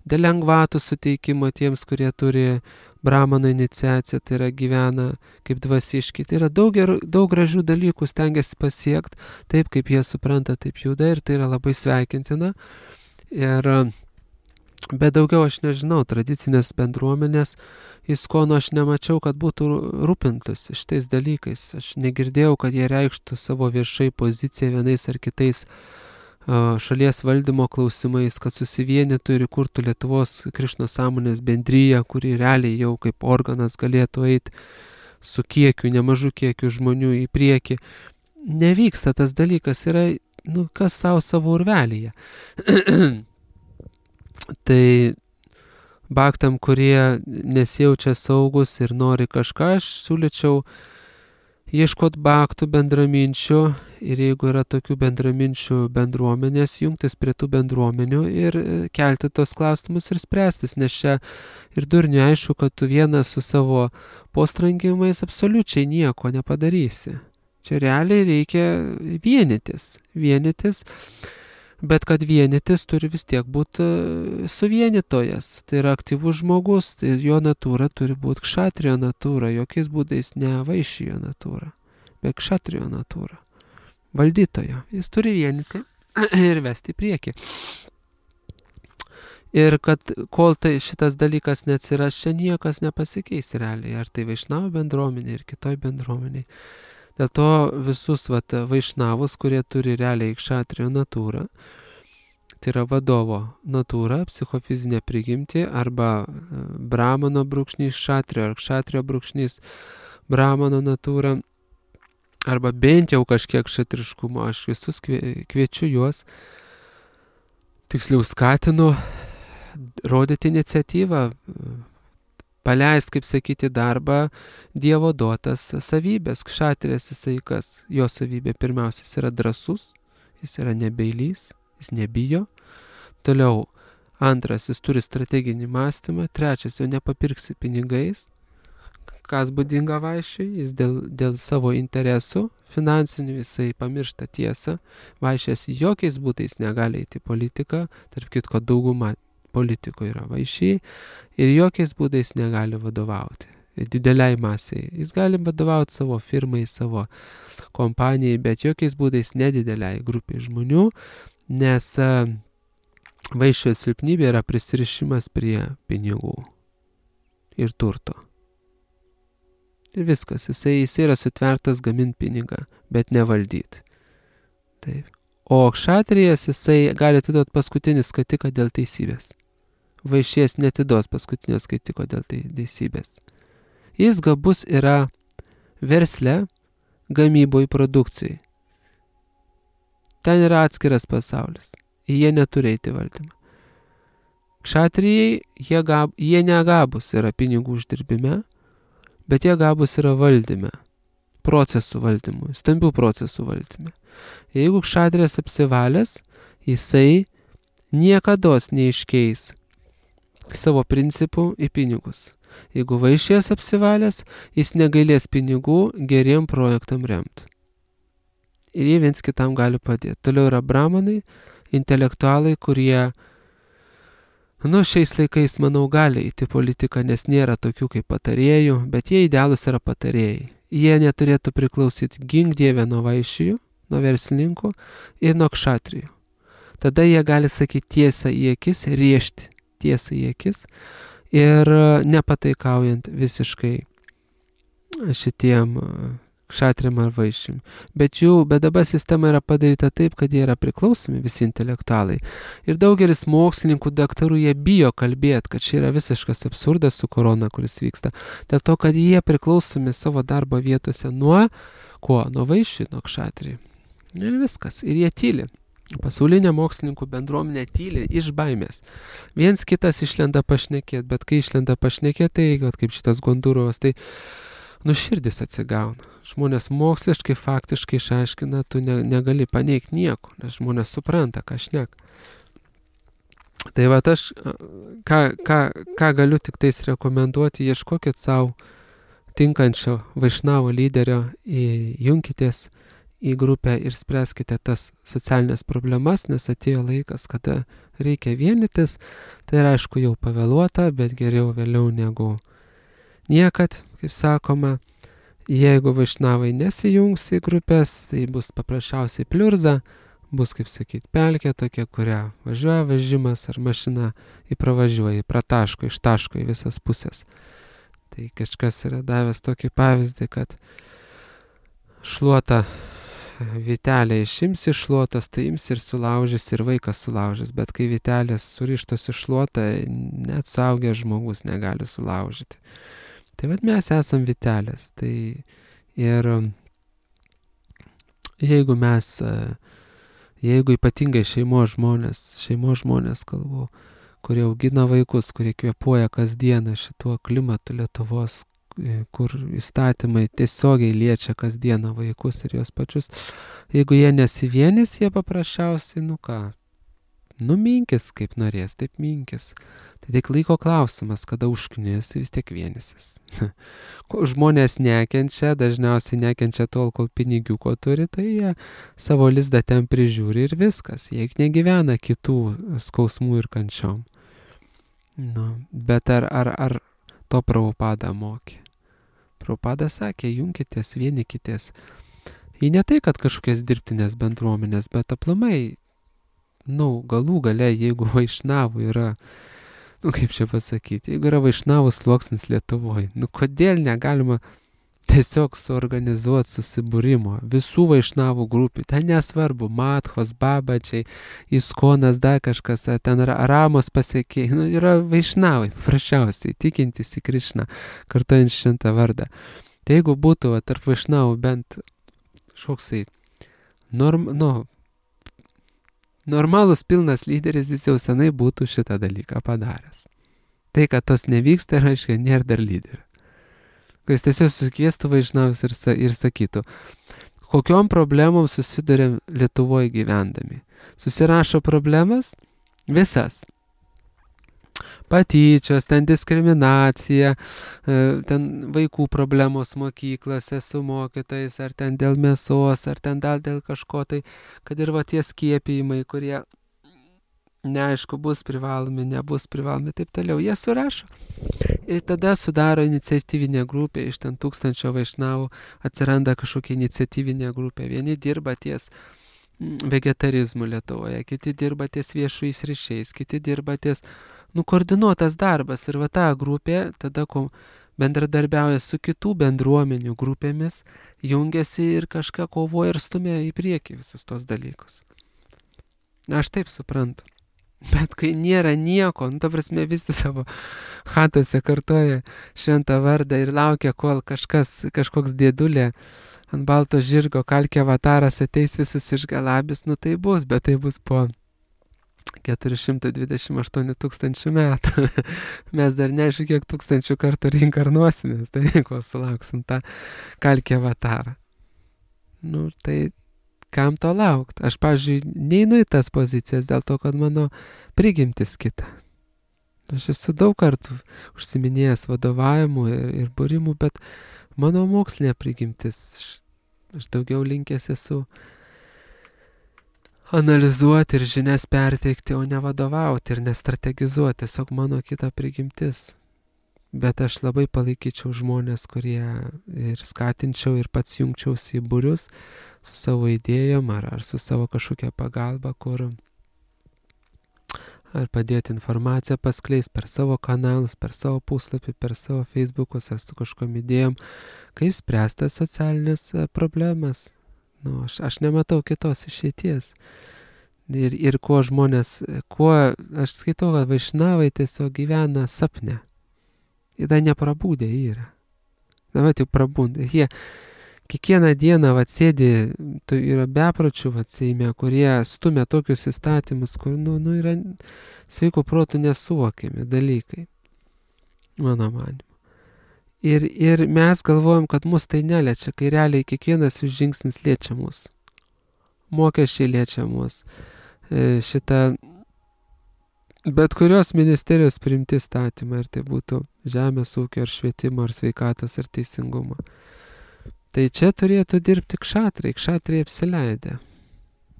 A: Dėl lengvatų suteikimo tiems, kurie turi brahmano iniciaciją, tai yra gyvena kaip dvasiški. Tai yra daug, gerų, daug gražių dalykų stengiasi pasiekti, taip kaip jie supranta, taip juda ir tai yra labai sveikintina. Ir bet daugiau aš nežinau, tradicinės bendruomenės ISKONO aš nemačiau, kad būtų rūpintus šitais dalykais. Aš negirdėjau, kad jie reikštų savo viešai poziciją vienais ar kitais uh, šalies valdymo klausimais, kad susivienytų ir įkurtų Lietuvos Krišnos sąmonės bendryją, kuri realiai jau kaip organas galėtų eiti su kiekiu, nemažu kiekiu žmonių į priekį. Nevyksta tas dalykas, yra, nu, kas savo savo urvelyje. Tai bhaktam, kurie nesijaučia saugus ir nori kažką, aš siūlyčiau ieškoti bhaktų bendraminčių ir jeigu yra tokių bendraminčių bendruomenės, jungtis prie tų bendruomenių ir kelti tos klausimus ir spręstis, nes čia ir durniui aišku, kad tu vienas su savo postrangimais absoliučiai nieko nepadarysi. Čia realiai reikia vienytis, vienytis, bet kad vienytis turi vis tiek būti suvienytojas, tai yra aktyvus žmogus, tai jo natūra turi būti kšatrijo natūra, jokiais būdais ne vaišijo natūra, bet kšatrijo natūra, valdytojo, jis turi vienyti ir vesti į priekį. Ir kad kol tai šitas dalykas neatsiras, čia niekas nepasikeis realiai, ar tai vaišnavo bendruomenė ir kitoj bendruomeniai. Dėl to visus vat, vaišnavus, kurie turi realiai kšatrijo natūrą, tai yra vadovo natūra, psichofizinė prigimtį, arba brahmano brūkšnys kšatrijo, ar kšatrijo brūkšnys brahmano natūra, arba bent jau kažkiek kšatriškumo. Aš visus kviečiu juos, tiksliau skatinu, rodyti iniciatyvą, paleist, kaip sakyti, darbą Dievo duotas savybės. Kšatrijas jisai kas? Jo savybė pirmiausia, jis yra drąsus, jis yra nebeilys, jis nebijo. Toliau, antras, jis turi strateginį mąstymą. Trečias, jo nepapirksi pinigais. Kas būdinga vaišiui, jis dėl, dėl savo interesų finansinių jisai pamiršta tiesą. Vaišės jokiais būdais negali eiti į politiką, tarp kitko dauguma politikų yra vaišiai ir jokiais būdais negali vadovauti dideliai masiai. Jis gali vadovauti savo firmai, savo kompanijai, bet jokiais būdais nedideliai grupiai žmonių, nes vaišio silpnybė yra prisirišimas prie pinigų ir turto. Ir viskas, jisai, jisai yra sutvertas gaminti pinigą, bet nevaldyti. Taip. O kšatrijas jisai gali atiduoti paskutinį skatiką dėl teisybės. Vaišės netiduos paskutinio skaitiko dėl teisybės. Jis gabus yra versle, gamyboj, produkcijai. Ten yra atskiras pasaulis. Jie neturi eiti valdymą. Kšatrijai, jie, gab, jie negabus yra pinigų uždirbime, bet jie gabus yra valdyme, procesų valdymui, stambių procesų valdyme. Jeigu kšatrijas apsivalęs, jisai niekados neiškeis savo principų į pinigus. Jeigu vaišės apsivalęs, jis negailės pinigų geriem projektam remti. Ir jie viens kitam gali padėti. Toliau yra brahmanai, intelektualai, kurie, nu, šiais laikais, manau, gali įti politiką, nes nėra tokių kaip patarėjų, bet jie idealus yra patarėjai. Jie neturėtų priklausyti gink dievę nuo vaišijų, nuo verslininkų ir nuo kšatrijų. Tada jie gali sakyti tiesą į akis, riešti tiesą į akis ir nepataikaujant visiškai šitiem kšatriam ar vaišim. Bet jų, bet dabar sistema yra padaryta taip, kad jie yra priklausomi visi intelektualai. Ir daugelis mokslininkų, daktarų, jie bijo kalbėti, kad čia yra visiškas absurdas su korona, kuris vyksta. Dėl to, kad jie priklausomi savo darbo vietose nuo ko? Nuo vaišių, nuo kšatrijų. Ir viskas. Ir jie tyli. Pasaulinė mokslininkų bendruomenė tyli iš baimės. Viens kitas išlenda pašnekėti, bet kai išlenda pašnekėti, tai kaip šitas Gondurovas, tai nu širdis atsigauna. Žmonės moksliškai, faktiškai išaiškina, tu ne, negali paneigti nieko, nes žmonės supranta, ką šnek. Tai va aš, ką, ką, ką galiu tik tais rekomenduoti, ieškokit savo tinkančio vaišnavo lyderio, junkitės į grupę ir spręskite tas socialinės problemas, nes atėjo laikas, kada reikia vienytis. Tai yra, aišku, jau pavėluota, bet geriau vėliau negu niekad, kaip sakoma. Jeigu vaišnavai nesijungs į grupės, tai bus paprasčiausiai pliurza, bus, kaip sakyti, pelkė tokia, kurią važiuoja vežimas ar mašina įpravažiuoja, prataško, ištaško į visas pusės. Tai kažkas yra davęs tokį pavyzdį, kad šluota vytelė išims iš šluotos, tai ims ir sulaužys, ir vaikas sulaužys, bet kai vytelės surištos iš šluotą, net suaugęs žmogus negali sulaužyti. Tai vad mes esam vytelės. Tai ir jeigu mes, jeigu ypatingai šeimos žmonės, šeimos žmonės kalbu, kurie augina vaikus, kurie kvėpuoja kasdieną šituo klimatu Lietuvos, kur įstatymai tiesiogiai liečia kasdieną vaikus ir jos pačius. Jeigu jie nesivienys, jie paprasčiausiai, nu ką, numinkis, kaip norės, taip minkis. Tai tik laiko klausimas, kada užknis, vis tiek vienysis. Kol žmonės nekenčia, dažniausiai nekenčia tol, kol pinigiuko turi, tai jie savo lizdą ten prižiūri ir viskas. Jie negyvena kitų skausmų ir kančiom. Nu, bet ar, ar, ar to Prabhupada mokė? Prabhupada sakė, junkitės, vienykitės. Į ne tai, kad kažkokias dirbtinės bendruomenės, bet aplamai, nu, galų gale, jeigu vaišnavų yra, nu, kaip čia pasakyti, jeigu yra vaišnavų sluoksnis Lietuvoje, nu, kodėl negalima tiesiog suorganizuoti susibūrimo visų vaišnavų grupių, ten nesvarbu, Madhos, Babačiai, Iskonas, dar kažkas, ten Ramos pasiekėjai, nu, yra vaišnavai, paprasčiausiai, tikintys į Krišną, kartuojant šventą vardą. Tai jeigu būtų va, tarp vaišnavų bent šoksai, norm, nu, normalus pilnas lyderis, jis jau senai būtų šitą dalyką padaręs. Tai, kad tos nevyksta, reiškia, nėra dar lyderio. Jis tiesiog sukviestų vaišnavus ir, ir sakytų, kokiom problemom susidurėm Lietuvoje gyvendami. Susirašo problemas? Visas. Patyčios, ten diskriminacija, ten vaikų problemos mokyklose su mokytais, ar ten dėl mėsos, ar ten dar dėl kažko, tai kad ir va tie skiepijimai, kurie neaišku, bus privalomi, nebus privalomi, taip toliau. Jie surašo. Ir tada sudaro iniciatyvinė grupė, iš ten tūkstančio vaišnavų atsiranda kažkokia iniciatyvinė grupė. Vieni dirba ties vegetarizmu Lietuvoje, kiti dirba ties viešais ryšiais, kiti dirba ties, nu, koordinuotas darbas. Ir va ta grupė tada bendradarbiauja su kitų bendruomenių grupėmis, jungiasi ir kažką kovoja ir stumia į priekį visus tos dalykus. Aš taip suprantu. Bet kai nėra nieko, nu, ta prasme, visi savo chatose kartoja šventą vardą ir laukia, kol kažkas, kažkoks dėdulė ant balto žirgo kalkė avataras ateis visus išgalabys, nu tai bus, bet tai bus po keturi šimtai dvidešimt aštuoni tūkstančių metų. Mes dar neaišku, kiek tūkstančių kartų reinkarnuosimės, tai kol sulauksim tą kalkė avatarą. Nu, tai kam to laukt? Aš, pavyzdžiui, neinu į tas pozicijas dėl to, kad mano prigimtis kita. Aš esu daug kartų užsiminėjęs vadovavimu ir, ir būrimu, bet mano mokslinė prigimtis, aš daugiau linkęs esu analizuoti ir žinias perteikti, o ne vadovauti ir nestrategizuoti, tiesiog mano kita prigimtis. Bet aš labai palaikyčiau žmonės, kurie ir skatinčiau ir pats jungčiausi į būrius su savo idėjom ar, ar su savo kažkokia pagalba, kur ar padėti informaciją paskleis per savo kanalus, per savo puslapį, per savo Facebookus ar su kažkom idėjom, kaip spręsti socialinės problemas. Nu, aš, aš nematau kitos išeities. Ir, ir kuo žmonės, kuo aš skaitau, kad vaišnavai tiesiog gyvena sapne. Jie dar neprabūdė yra. Na, va, jau prabūdė. Jie kiekvieną dieną vat, sėdi, tai yra bepročių vat, Seime, kurie stumia tokius įstatymus, kur nu, nu, yra sveiko protų nesuvokiami dalykai, mano manimu. Ir, ir mes galvojam, kad mus tai neliečia, kai realiai kiekvienas jų žingsnis liečia mus. Mokesčiai liečia mus. E, šitą bet kurios ministerijos priimti statymą, ar tai būtų žemės ūkio, ar švietimo, ar sveikatos, ar teisingumo. Tai čia turėtų dirbti kšatrai, kšatrai apsileidę.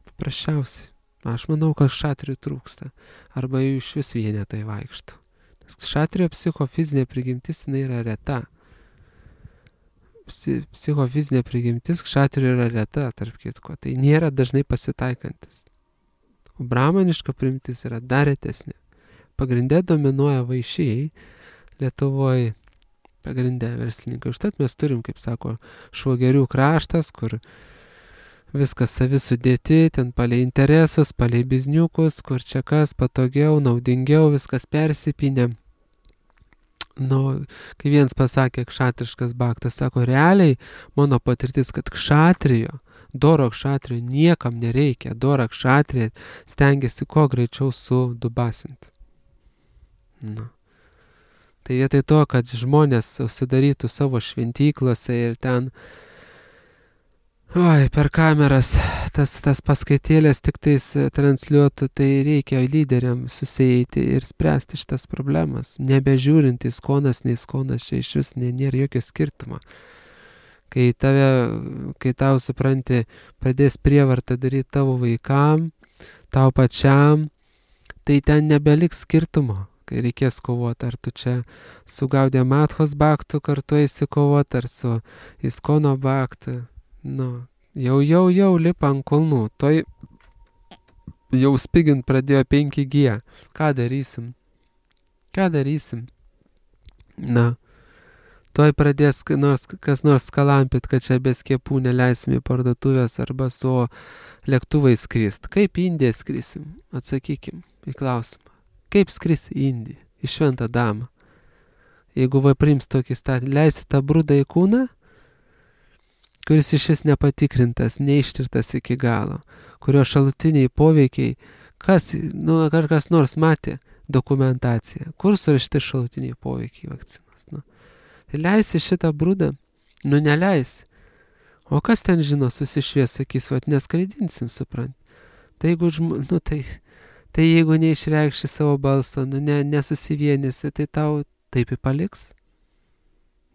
A: Paprasčiausiai. Aš manau, kad kšatrių trūksta. Arba jų iš vis vienetai vaikšto. Nes kšatrio psichofizinė prigimtis, jinai yra reta. Psichofizinė prigimtis kšatrio yra reta, tarp kitko. Tai nėra dažnai pasitaikantis. O brahmaniška prigimtis yra dar retesnė. Pagrindė dominuoja vaišėjai, Lietuvoje pagrindė verslininkai. Užtat mes turim, kaip sako, švogerių kraštas, kur viskas savi sudėti, ten palei interesus, palei bizniukus, kur čia kas patogiau, naudingiau, viskas persipinė. Nu, kai vienas pasakė kšatriškas baktas, sako, realiai mano patirtis, kad kšatrijo, doro kšatrijo niekam nereikia, doro kšatrijo stengiasi kuo greičiau sudubasinti. Nu. Tai vietoj to, kad žmonės užsidarytų savo šventyklose ir ten, oi, per kameras tas, tas paskaitėlės tik tais transliuotų, tai reikia lyderiam susieiti ir spręsti šitas problemas. Nebežiūrint į skonas, nei skonas, čia iš vis nėra jokio skirtumo. Kai, tave, kai tau, supranti, pradės prievartą daryti tavo vaikam, tau pačiam, tai ten nebeliks skirtumo, kai reikės kovoti, ar tu čia su Gaudija Mathos baktu kartu eisi kovoti, ar su Iskono baktu. Nu, jau, jau, jau lipa ant kulnų, toj jau spigint pradėjo penki G. Ką darysim? Ką darysim? Na, toj pradės nors, kas nors skalampit, kad čia be skiepų neleisim į parduotuvės arba su lėktuvai skrist. Kaip į Indiją skrisim? Atsakykim į klausimą. Kaip skris į Indiją? Į Šventą Damą? Jeigu va priims tokį statį, leisi tą brudą į kūną, kuris iš vis nepatikrintas, neištirtas iki galo, kurio šalutiniai poveikiai, kas, nu, ar kas nors matė dokumentaciją, kur surašti šalutiniai poveikiai vakcinos. Nu. Tai leisi šitą brudą? Nu, neleisi. O kas ten žino, susišvies, sakys, vat neskraidinsim, suprant. Tai jeigu, žm... nu, tai, tai jeigu neišreikši savo balso, nu, ne, nesusivienysi, tai tau taip ir paliks.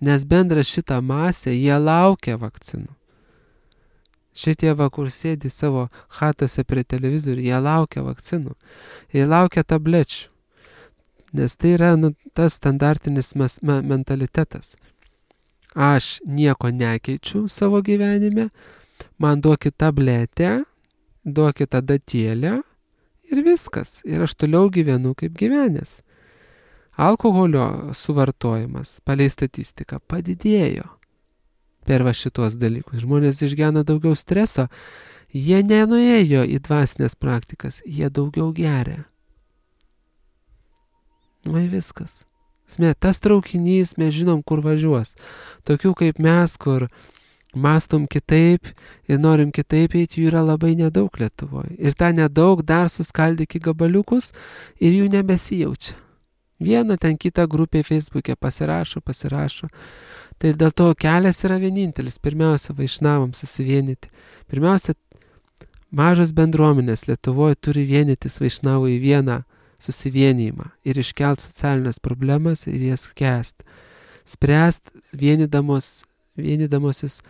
A: Nes bendra šitą masę, jie laukia vakcinų. Šitie va, kur sėdi savo chatose prie televizorių, jie laukia vakcinų. Jie laukia tablečių. Nes tai yra nu, tas standartinis mes, me, mentalitetas. Aš nieko nekeičiu savo gyvenime, man duokit tabletę, duokit adatėlę ir viskas. Ir aš toliau gyvenu kaip gyvenęs. Alkoholio suvartojimas, palei statistiką, padidėjo per va šitos dalykus. Žmonės išgyvena daugiau streso, jie nenuėjo į dvasinės praktikas, jie daugiau geria. Nu, viskas. Sme, tas traukinys, mes žinom, kur važiuos. Tokių kaip mes, kur mastom kitaip ir norim kitaip eiti, jų yra labai nedaug Lietuvoje. Ir tą nedaug dar suskaldyk į gabaliukus ir jų nebesijaučia. Vieną ten kitą grupę Facebook'e pasirašo, pasirašo. Tai dėl to kelias yra vienintelis. Pirmiausia, vaišnavam susivienyti. Pirmiausia, mažos bendruomenės Lietuvoje turi vienytis vaišnavų į vieną susivienijimą ir iškelt socialinės problemas ir jas skęst. Spręst vienydamos, vienydamosis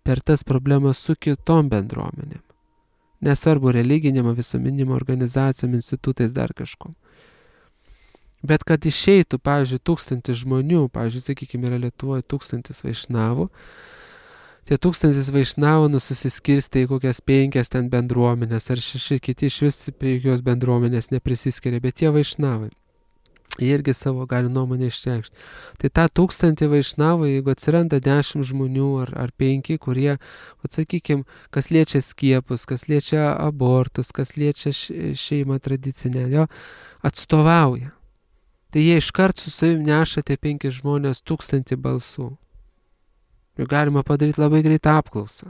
A: per tas problemas su kitom bendruomenėm. Nesvarbu religinėm, visuomeninėm organizacijom, institutais, dar kažkom. Bet kad išeitų, pavyzdžiui, tūkstantis žmonių, pavyzdžiui, sakykime, yra Lietuvoje tūkstantis vaišnavų, tie tūkstantis vaišnavų nususiskirstė į kokias penkias ten bendruomenės, ar šeši kiti iš vis prie jokios bendruomenės neprisiskiria, bet tie vaišnavai, jie irgi savo gali nuomonę išreikšti. Tai tą tūkstantį vaišnavų, jeigu atsiranda dešimt žmonių ar, ar penki, kurie, atsakykime, kas liečia skiepus, kas liečia abortus, kas liečia šeimą tradicinę, jo, atstovauja. Tai jie iškart su savim neša tie penki žmonės tūkstantį balsų. Ir galima padaryti labai greitą apklausą.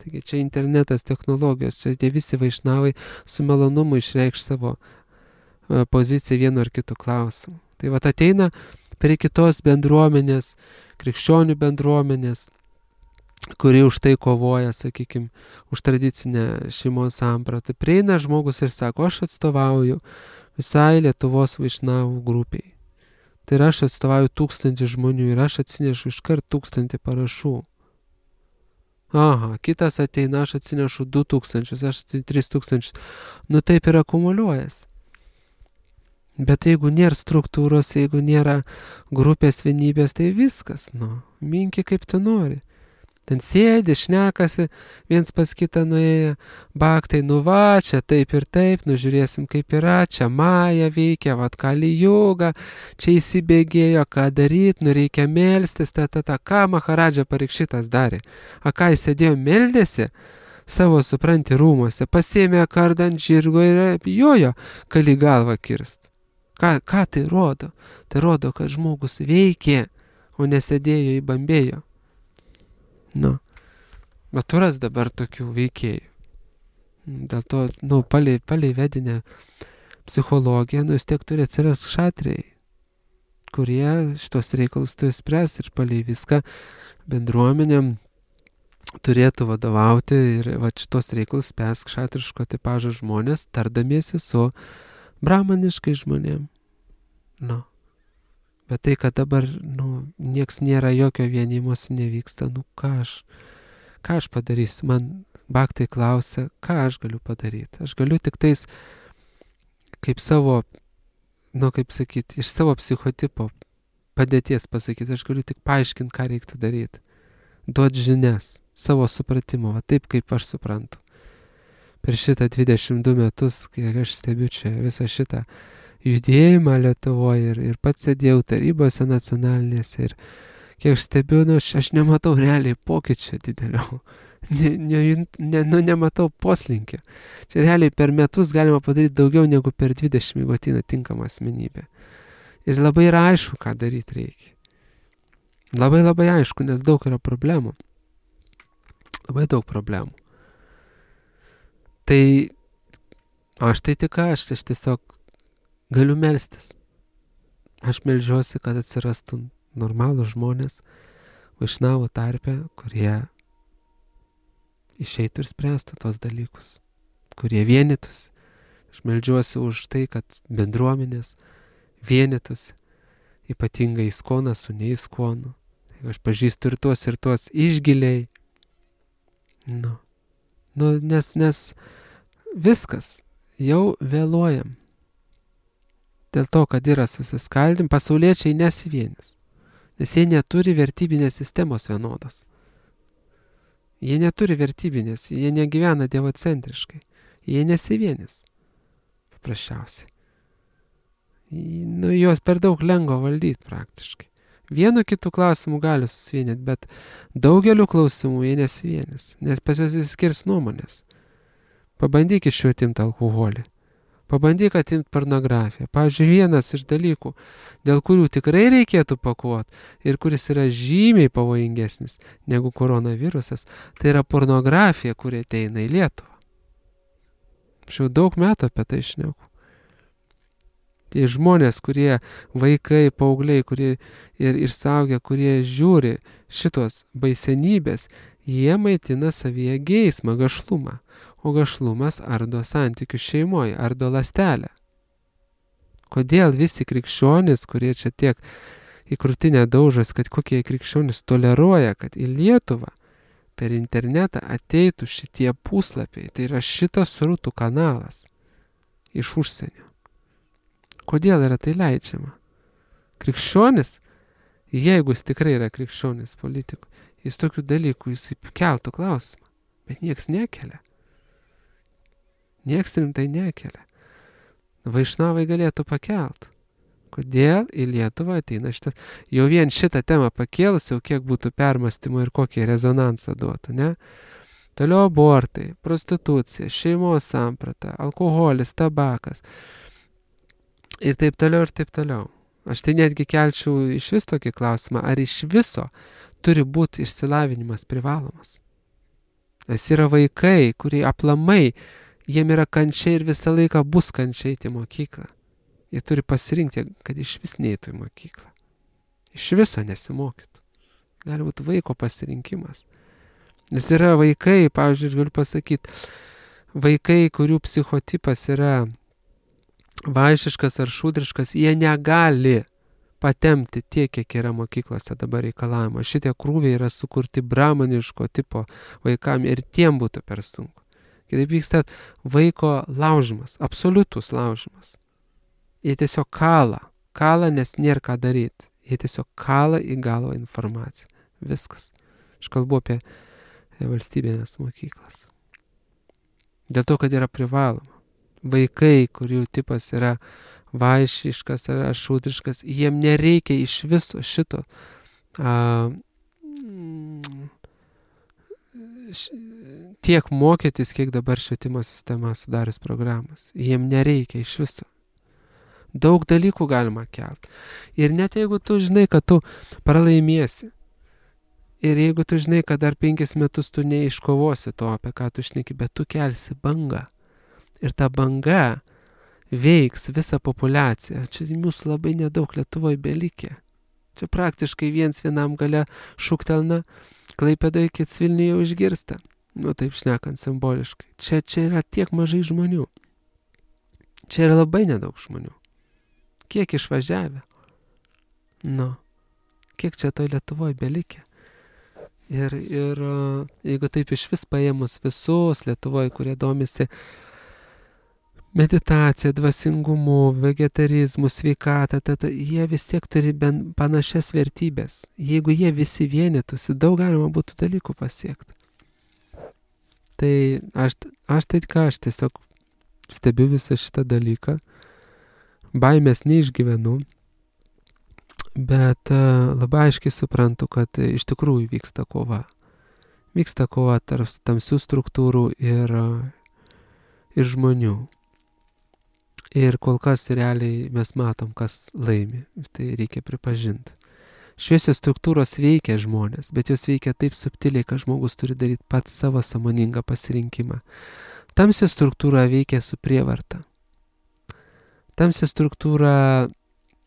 A: Taigi čia internetas, technologijos, čia tie visi vaišnavai su malonumu išreikš savo uh, poziciją vienu ar kitu klausimu. Tai vat ateina prie kitos bendruomenės, krikščionių bendruomenės, kuri už tai kovoja, sakykime, už tradicinę šeimos sampratą. Prieina žmogus ir sako, aš atstovauju visai Lietuvos vaišnavų grupiai. Tai ir aš atstovauju tūkstantį žmonių ir aš atsinešu iškart tūkstantį parašų. Aha, kitas ateina, aš atsinešu du tūkstančius, aš tris tūkstančius. Nu taip ir akumuliuojas. Bet jeigu nėra struktūros, jeigu nėra grupės vienybės, tai viskas, nu, minki kaip tu nori. Ten sėdi, šnekasi, viens pas kitą nuėję, baktai, nu va, čia taip ir taip, nu žiūrėsim kaip yra, čia Maja veikia, vat Kali Juga, čia įsibėgėjo, ką daryt, nu reikia melstis, ta, ta, ta, ką Maharadža Parikšitas darė. A ką jis sėdėjo, meldėsi savo, supranti, rūmuose, pasėmė kardą ant žirgo ir jojo Kali galvą kirst. Ką, ką tai rodo? Tai rodo, kad žmogus veikė, o nesėdėjo į bambėjo. Nu, bet turas dabar tokių veikėjų. Dėl to, nu, palei, palei vedinę psichologiją, nu, vis tiek turi atsirasti šatriai, kurie šitos reikalus turi spręs ir palei viską bendruomenėm turėtų vadovauti ir va šitos reikalus spręs kšatriško tipažo žmonės, tardamiesi su brahmaniškai žmonėm. Nu. Bet tai, kad dabar, nu, nieks nėra, jokio vienymosi nevyksta, nu, ką aš, ką aš padarysiu? Man baktai klausia, ką aš galiu padaryti. Aš galiu tik tais, kaip savo, nu, kaip sakyti, iš savo psichotipo padėties pasakyti, aš galiu tik paaiškinti, ką reiktų daryti. Duot žinias, savo supratimo, va taip, kaip aš suprantu. Per šitą dvidešimt du metus, kai aš stebiu čia visą šitą judėjimą Lietuvoje ir, ir pats sėdėjau tarybose nacionalinėse ir kiek aš stebiu, nu, aš, aš nematau realiai pokyčio didelio, ne, ne, ne, nu, nematau poslinkio. Čia realiai per metus galima padaryti daugiau negu per dvidešimt, jeigu ateina tinkama asmenybė. Ir labai yra aišku, ką daryti reikia. Labai labai aišku, nes daug yra problemų. Labai daug problemų. Tai aš tai tik aš, aš tiesiog galiu melstis. Aš melžiuosi, kad atsirastų normalų žmonės vaišnavų tarpe, kurie išeitų ir spręstų tos dalykus, kurie vienytųsi. Aš melžiuosi už tai, kad bendruomenės vienytųsi, ypatingai įskonas su neįskonu. Aš pažįstu ir tuos, ir tuos išgiliai. Nu, nu nes, nes viskas, jau vėluojam. Dėl to, kad yra susiskaldim, pasauliečiai nesivienis. Nes jie neturi vertybinės sistemos vienodas. Jie neturi vertybinės, jie negyvena dievocentriškai. Jie nesivienis. Paprasčiausiai. Nu, juos per daug lengva valdyti praktiškai. Vienu kitų klausimų gali susivienyti, bet daugeliu klausimų jie nesivienis. Nes pas juos įskirs nuomonės. Pabandyk iš jų atimti alkoholį. Pabandyk atimti pornografiją. Pavyzdžiui, vienas iš dalykų, dėl kurių tikrai reikėtų pakuoti ir kuris yra žymiai pavojingesnis negu koronavirusas, tai yra pornografija, kuri ateina į Lietuvą. Aš jau daug metų apie tai šneku. Tai žmonės, kurie vaikai, paaugliai, kurie ir, ir suaugę, kurie žiūri šitos baisenybės, jie maitina savyje geismą, gašlumą. O gašlumas ardo santykių šeimoje, ardo ląstelę. Kodėl visi krikščionys, kurie čia tiek į krūtinę daužas, kad kokie krikščionys toleruoja, kad į Lietuvą per internetą ateitų šitie puslapiai, tai yra šitas srutų kanalas iš užsienio. Kodėl yra tai leidžiama? Krikščionis, jeigu jis tikrai yra krikščionis politikų, jis tokių dalykų, jis keltų klausimą, bet nieks nekelia. Nieks rimtai nekelia. Vaišnavai galėtų pakelt. Kodėl į Lietuvą ateina šitas? Jau vien šitą temą pakėlus, jau kiek būtų permąstymo ir kokį rezonansą duotų, ne? Toliau abortai, prostitucija, šeimos samprata, alkoholis, tabakas. Ir taip toliau, ir taip toliau. Aš tai netgi kelčiau iš vis tokį klausimą, ar iš viso turi būti išsilavinimas privalomas. Nes yra vaikai, kurie aplamai jiem yra kančia ir visą laiką bus kančia eiti į mokyklą. Jie turi pasirinkti, kad iš vis neįtų į mokyklą. Iš viso nesimokytų. Gali būti vaiko pasirinkimas. Nes yra vaikai, pavyzdžiui, aš galiu pasakyti, vaikai, kurių psichotipas yra vaišiškas ar šūdriškas, jie negali patempti tiek, kiek yra mokyklose dabar reikalavimo. Šitie krūviai yra sukurti brahmaniško tipo vaikam ir tiem būtų per sunku. Kitaip vyksta vaiko laužimas, absoliutus laužimas. Jie tiesiog kala, kala, nes nėra ką daryti. Jie tiesiog kala į galvą informaciją. Viskas. Aš kalbu apie valstybinės mokyklas. Dėl to, kad yra privaloma. Vaikai, kurių tipas yra vaišiškas ar šūdriškas, jiem nereikia iš viso šito a, š, tiek mokytis, kiek dabar švietimo sistema sudarius programas. Jiem nereikia iš viso. Daug dalykų galima kelti. Ir net jeigu tu žinai, kad tu pralaimėsi, ir jeigu tu žinai, kad dar penkis metus tu neiškovosi to, apie ką tu šneki, bet tu kelsi bangą. Ir ta banga veiks visą populiaciją. Čia mūsų labai nedaug Lietuvoje belikė. Čia praktiškai viens vienam gale šūktelna, Klaipėdoje kits Vilniuje jau išgirsta. Nu taip šnekant simboliškai. Čia, čia yra tiek mažai žmonių. Čia yra labai nedaug žmonių. Kiek išvažiavę? Nu, kiek čia toj Lietuvoje belikė? Ir, ir jeigu taip iš vis paėmus visus Lietuvoje, kurie domisi meditacija, dvasingumu, vegetarizmu, sveikata, tata, jie vis tiek turi ben panašias vertybės. Jeigu jie visi vienytųsi, daug galima būtų dalykų pasiekti. Tai aš, aš tai ką, aš tiesiog stebiu visą šitą dalyką. Baimės neišgyvenu, bet uh, labai aiškiai suprantu, kad uh, iš tikrųjų vyksta kova. Vyksta kova tarp tamsių struktūrų ir, uh, ir žmonių. Ir kol kas realiai mes matom, kas laimi. Tai reikia pripažinti. Šviesios struktūros veikia žmonės, bet jos veikia taip subtiliai, kad žmogus turi daryti pats savo sąmoningą pasirinkimą. Tamsi struktūra veikia su prievarta. Tamsi struktūra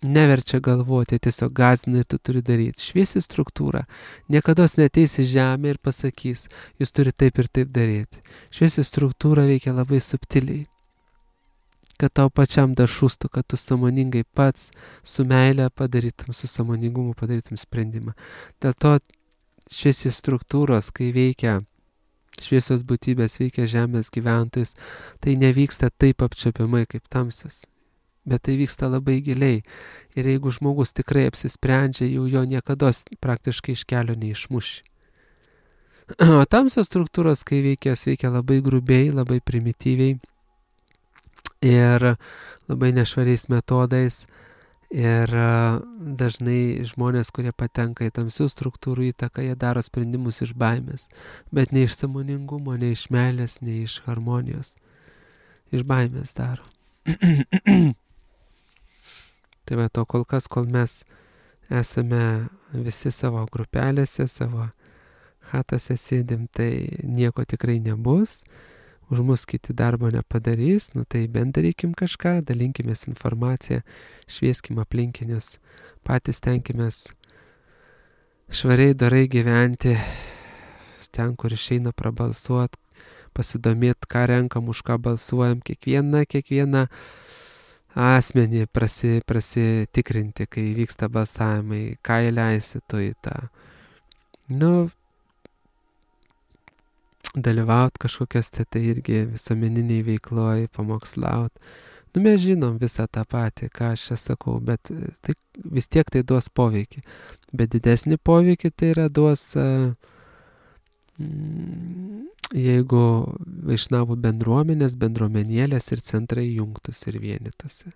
A: neverčia galvoti, tiesiog gąsdina ir tu turi daryti. Šviesi struktūra niekados neteis į žemę ir pasakys, jūs turi taip ir taip daryti. Šviesi struktūra veikia labai subtiliai, kad tau pačiam dašūstų, kad tu sąmoningai pats su meile padarytum, su sąmoningumu padarytum sprendimą. Dėl to šviesi struktūros, kai veikia šviesios būtybės, veikia žemės gyventojus, tai nevyksta taip apčiuopiamai kaip tamsios. Bet tai vyksta labai giliai. Ir jeigu žmogus tikrai apsisprendžia, jau jo niekados praktiškai iš kelio neišmuši. O tamsios struktūros, kai veikia, veikia labai grubiai, labai primityviai ir labai nešvariais metodais. Ir dažnai žmonės, kurie patenka į tamsių struktūrų įtaką, jie daro sprendimus iš baimės. Bet ne iš sąmoningumo, ne iš meilės, ne iš harmonijos. Iš baimės daro. Tai va to kol kas, kol mes esame visi savo grupelėse, savo chatose sėdim, tai nieko tikrai nebus. Už mus kiti darbo nepadarys, nu tai bent darykim kažką, dalinkimės informaciją, švieskim aplinkinius, patys tenkimės švariai, dorai gyventi, ten, kur išeina prabalsuot, pasidomėt, ką renkam, už ką balsuojam, kiekvieną, kiekvieną asmenį prasi, prasitikrinti, kai vyksta balsavimai, ką įleisi tu į tą. Nu, dalyvaut kažkokias tai, tai irgi visuomeniniai veikloj, pamokslaut. Nu, mes žinom visą tą patį, ką aš čia sakau, bet tai, vis tiek tai duos poveikį. Bet didesnį poveikį tai yra duos, uh, mm, jeigu vaišnavų bendruomenės, bendruomenėlės ir centrai jungtųsi ir vienytųsi.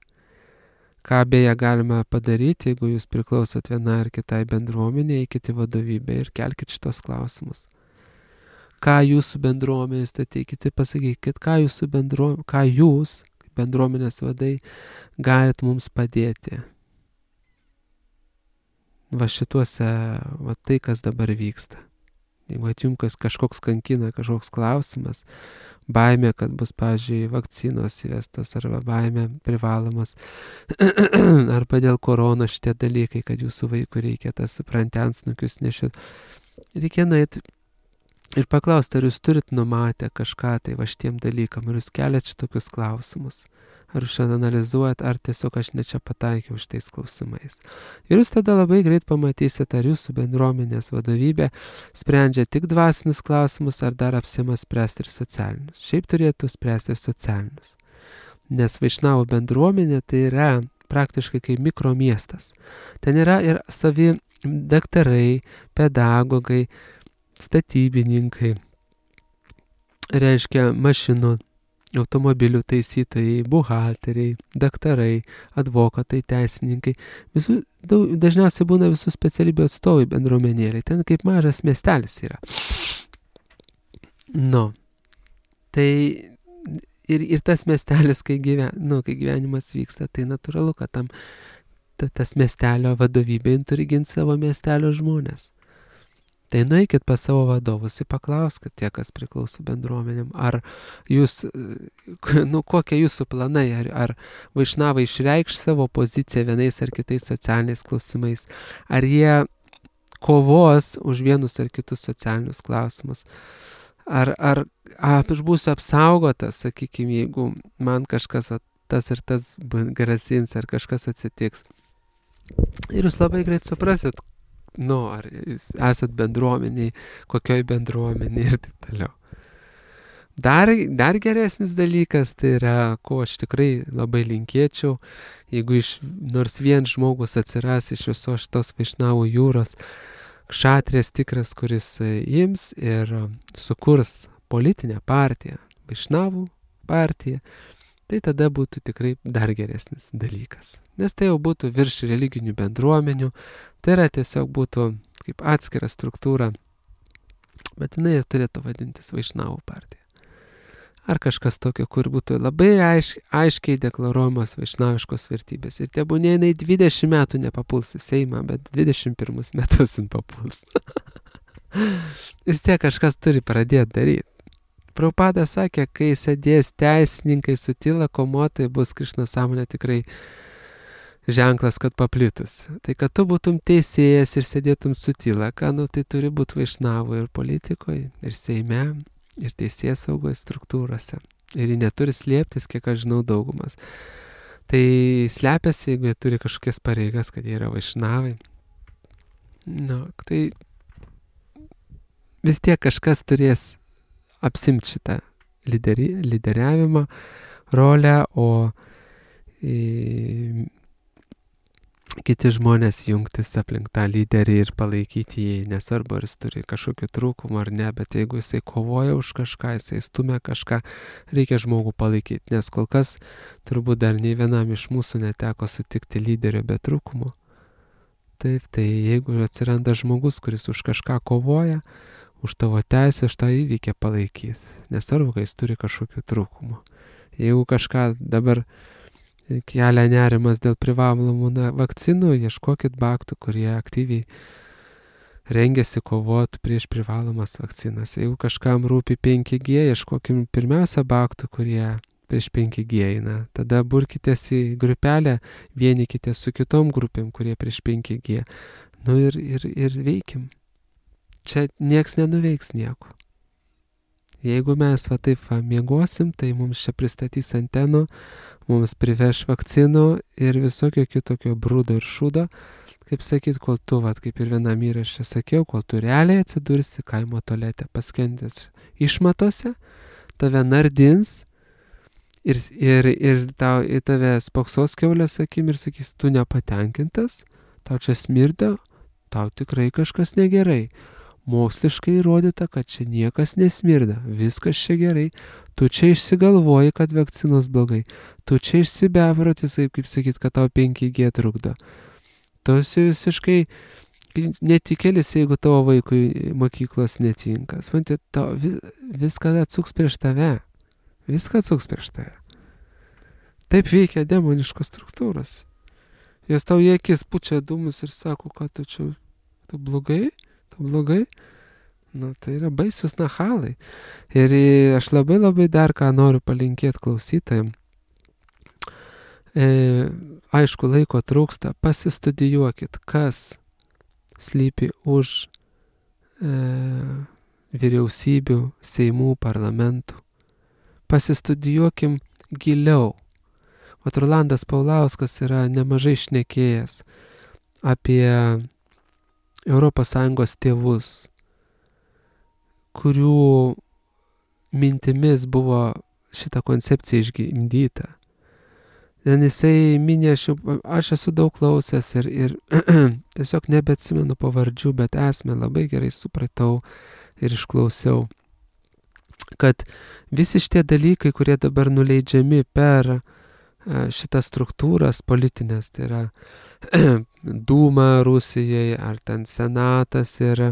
A: Ką beje galime padaryti, jeigu jūs priklausot vienai ar kitai bendruomenė, eikit į vadovybę ir kelkit šitos klausimus. Ką jūsų bendruomenės, tai teikite, pasakykit, ką jūsų bendruomenės, ką jūs, bendruomenės vadai, galit mums padėti. Va šituose, va tai, kas dabar vyksta. Jeigu atjumkas kažkoks kankina, kažkoks klausimas, baimė, kad bus, pavyzdžiui, vakcinos įvestas, arba baimė privalomas, arba dėl korona šitie dalykai, kad jūsų vaikų reikia tas suprantiansnukius nešit. Reikia nueiti ir paklausti, ar jūs turit numatę kažką tai va šitiem dalykam, ar jūs keliat šitokius klausimus, ar jūs analizuojat, ar tiesiog aš ne čia pataikiau šitais klausimais. Ir jūs tada labai greit pamatysit, ar jūsų bendruomenės vadovybė sprendžia tik dvasinius klausimus, ar dar apsima spręsti ir socialinius. Šiaip turėtų spręsti ir socialinius. Nes vaišnavų bendruomenė tai yra praktiškai kaip mikromiestas. Ten yra ir savi daktarai, pedagogai, statybininkai, reiškia mašinų, automobilių taisytojai, buhalteriai, daktarai, advokatai, teisininkai. Visų, daug, dažniausiai būna visų specialybių atstovai bendruomenėliai. Ten kaip mažas miestelis yra. Nu, tai ir, ir tas miestelis, kai, gyven, nu, kai gyvenimas vyksta, tai natūralu, kad tam ta, tas miestelio vadovybė turi ginti savo miestelio žmonės. Tai nueikit pas savo vadovus ir paklauskit tie, kas priklauso bendruomenėm, ar jūs, nu, kokie jūsų planai, ar, ar vaišnavai išreikš savo poziciją vienais ar kitais socialiniais klausimais, ar jie kovos už vienus ar kitus socialinius klausimus, ar, ar aš būsiu apsaugotas, sakykime, jeigu man kažkas tas ir tas grasins, ar kažkas atsitiks. Ir jūs labai greit suprasit, nu, ar jūs esat bendruomeniai, kokioj bendruomeniai ir taip toliau. Dar, dar geresnis dalykas, tai yra, ko aš tikrai labai linkėčiau, jeigu iš, nors vien žmogus atsiras iš visos šitos vaišnavų jūros, kšatrės tikras, kuris ims ir sukurs politinę partiją, vaišnavų partiją, tai tada būtų tikrai dar geresnis dalykas. Nes tai jau būtų virš religinių bendruomenių, tai yra tiesiog būtų kaip atskira struktūra, bet jinai turėtų vadintis vaišnavų partija. Ar kažkas tokio, kur būtų labai aiš, aiškiai deklaruojamos vaišnaviškos vertybės. Ir tebūnė jinai dvidešimt metų nepapuls į Seimą, bet dvidešimt pirmus metus jin papuls. Vis tiek kažkas turi pradėti daryti. Prabhupada sakė, kai sėdės teisininkai su tyla komotai, bus Krišna sąmonė tikrai ženklas, kad paplitus. Tai kad tu būtum teisėjas ir sėdėtum su tyla, ką, nu, tai turi būti vaišnavų ir politikoje, ir Seime, ir teisės saugos struktūrose. Ir jie neturi slėptis, kiek aš žinau, daugumas. Tai slepiasi, jeigu jie turi kažkokias pareigas, kad jie yra vaišnavai. Nu, tai vis tiek kažkas turės apsimti šitą lideri, lyderiavimą rolę, o į, kiti žmonės jungtis aplink tą lyderį ir palaikyti jį, nesvarbu, ar jis turi kažkokių trūkumų ar ne, bet jeigu jisai kovoja už kažką, jisai stumia kažką, reikia žmogų palaikyti, nes kol kas turbūt dar nei vienam iš mūsų neteko sutikti lyderio be trūkumų. Taip, tai jeigu atsiranda žmogus, kuris už kažką kovoja, už tavo teisę, aš tą reikia palaikyti. Nesvarbu, kai jis turi kažkokių trūkumų. Jeigu kažką dabar kelia nerimas dėl privalomų vakcinų, ieškokit baktų, kurie aktyviai rengiasi kovoti prieš privalomas vakcinas. Jeigu kažkam rūpi penki G, ieškokim pirmiausia baktų, kurie prieš penki G eina. Tada burkitės į grupelę, vienykitės su kitom grupėm, kurie prieš penki G. Nu ir, ir, ir veikim. Čia nieks nenuveiks nieko. Jeigu mes va taip va miegosim, tai mums čia pristatys antenų, mums priveš vakcinų ir visokio kitokio brūdo ir šūdo. Kaip sakyt, kol tu, va, kaip ir vienam įraše sakiau, kol tu realiai atsidursi kaimo tualete, paskendęs išmatose, tave nardins ir, ir, ir tau, į tave spoksos kiaulės akim ir sakys, tu nepatenkintas, tau čia smirda, tau tikrai kažkas negerai. Moksliškai įrodyta, kad čia niekas nesmirda, viskas čia gerai, tu čia išsigalvoji, kad vakcinos blogai, tu čia išsibeprotis, kaip sakyt, kad tau penki G trukdo. Tu esi visiškai netikėlis, jeigu tavo vaikui mokyklos netinka. Supranti, tau viską atsuks prieš tave, viską atsuks prieš tave. Taip veikia demoniškos struktūros. Jos tau į akis pučia dūmus ir sako, kad tu čia tu blogai. Tu blogai? Nu, tai yra baisus nachalai. Ir aš labai labai dar ką noriu palinkėti klausytojams. E, aišku, laiko trūksta. Pasistudijuokit, kas slypi už e, vyriausybių, seimų, parlamentų. Pasistudijuokim giliau. Vat Rolandas Paulauskas yra nemažai šnekėjęs apie Europos Sąjungos tėvus, kurių mintimis buvo šita koncepcija išgimdyta. Ten jisai minė, aš, aš esu daug klausęs ir, ir tiesiog nebeatsimenu pavardžių, bet esmę labai gerai supratau ir išklausiau, kad visi šitie dalykai, kurie dabar nuleidžiami per šitas struktūras politinės, tai yra Dūma Rusijai, ar ten senatas ir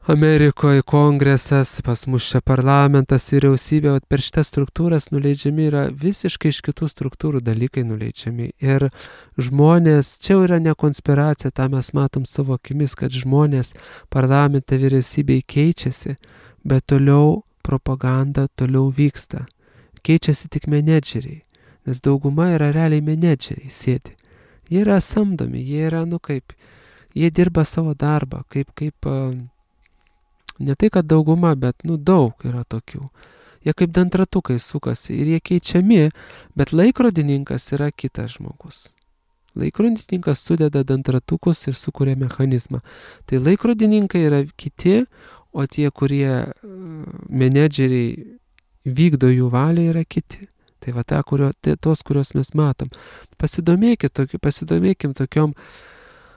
A: Amerikoje kongresas, pas mus čia parlamentas, vyriausybė, vat per šitas struktūras nuleidžiami yra visiškai iš kitų struktūrų dalykai nuleidžiami. Ir žmonės, čia yra ne konspiracija, tą mes matom savo akimis, kad žmonės parlamente vyriausybei keičiasi, bet toliau propaganda toliau vyksta. Keičiasi tik menedžeriai, nes dauguma yra realiai menedžeriai sėdi. Jie yra samdomi, jie yra, nu kaip, jie dirba savo darbą, kaip, kaip, ne tai, kad dauguma, bet, nu, daug yra tokių. Jie kaip dantratukai sukasi ir jie keičiami, bet laikrodininkas yra kitas žmogus. Laikrodininkas sudeda dantratukus ir sukuria mechanizmą. Tai laikrodininkai yra kiti, o tie, kurie menedžeriai vykdo jų valią, yra kiti. Tai va ta, kurio, tai tos, kurios mes matom. Pasidomėkit, toki, pasidomėkim tokiom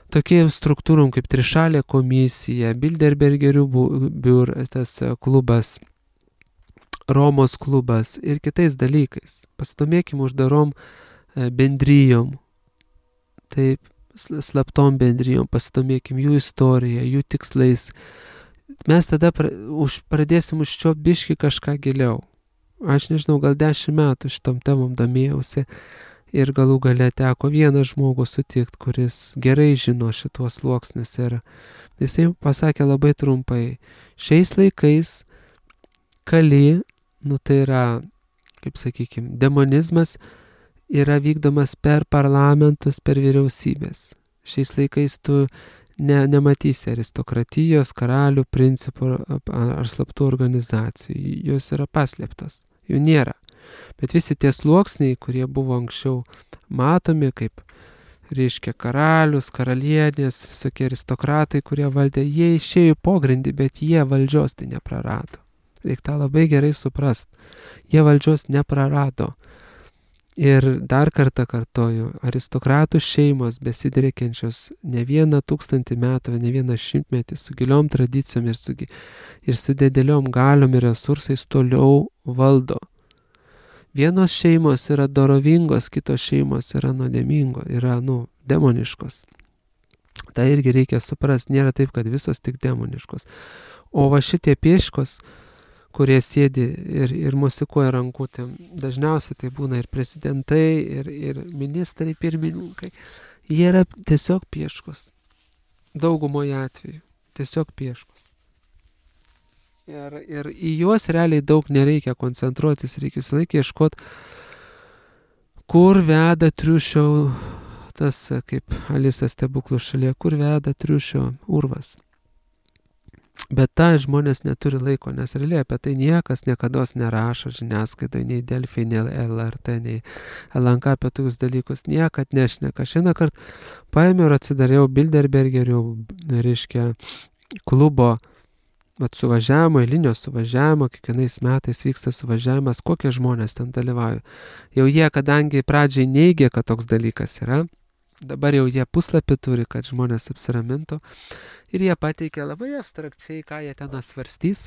A: tokiem struktūrom kaip trišalė komisija, Bilderbergerių biur, tas klubas, Romos klubas ir kitais dalykais. Pasidomėkim uždarom bendrijom, taip, slaptom bendrijom, pasidomėkim jų istoriją, jų tikslais. Mes tada pra, už, pradėsim užčiuopti biškį kažką giliau. Aš nežinau, gal dešimt metų šitom temom domėjausi. Ir galų gale teko vieną žmogų sutikti, kuris gerai žino šituos sluoksnius. Ir jisai pasakė labai trumpai, šiais laikais kali, nu tai yra, kaip sakykime, demonizmas yra vykdomas per parlamentus, per vyriausybės. Šiais laikais tu ne, nematysi aristokratijos, karalių, principų ar slaptų organizacijų. Jos yra paslėptos, jų nėra. Bet visi tie sluoksniai, kurie buvo anksčiau matomi, kaip, reiškia, karalius, karalienės, visokie aristokratai, kurie valdė, jie išėjo į pogrindį, bet jie valdžios tai neprarado. Reikia tą labai gerai suprast. Jie valdžios neprarado. Ir dar kartą kartoju, aristokratų šeimos besidriekiančios ne vieną tūkstantį metų, ne vieną šimtmetį, su giliom tradicijom ir su, ir su dideliom galiom ir resursais toliau valdo. Vienos šeimos yra dorovingos, kitos šeimos yra nuodėmingos, yra, nu, demoniškos. Tai irgi reikia suprasti, nėra taip, kad visos tik demoniškos. O va šitie pieškos, kurie sėdi ir, ir musikuoja rankutėm, dažniausiai tai būna ir prezidentai, ir, ir ministrai, pirmininkai. Jie yra tiesiog pieškos. Daugumoje atveju. Tiesiog pieškos. Ir, ir į juos realiai daug nereikia koncentruotis, reikia visą laiką ieškoti, kur veda triušio, tas kaip Alisa stebuklų šalyje, kur veda triušio urvas. Bet tą žmonės neturi laiko, nes realiai apie tai niekas niekados nerašo žiniasklaidai, nei Delfi, nei L R T, nei L N K apie tokius dalykus, niekad nešneka. Šiandien kart paėmiau ir atsidariau Bilderbergerių, reiškia, klubo vat suvažiavimo, eilinio suvažiavimo, kiekvienais metais vyksta suvažiavimas, kokie žmonės ten dalyvauja. Jau jie, kadangi pradžiai neigė, kad toks dalykas yra, dabar jau jie puslapį turi, kad žmonės apsiramintų ir jie pateikia labai abstrakčiai, ką jie ten svarstys.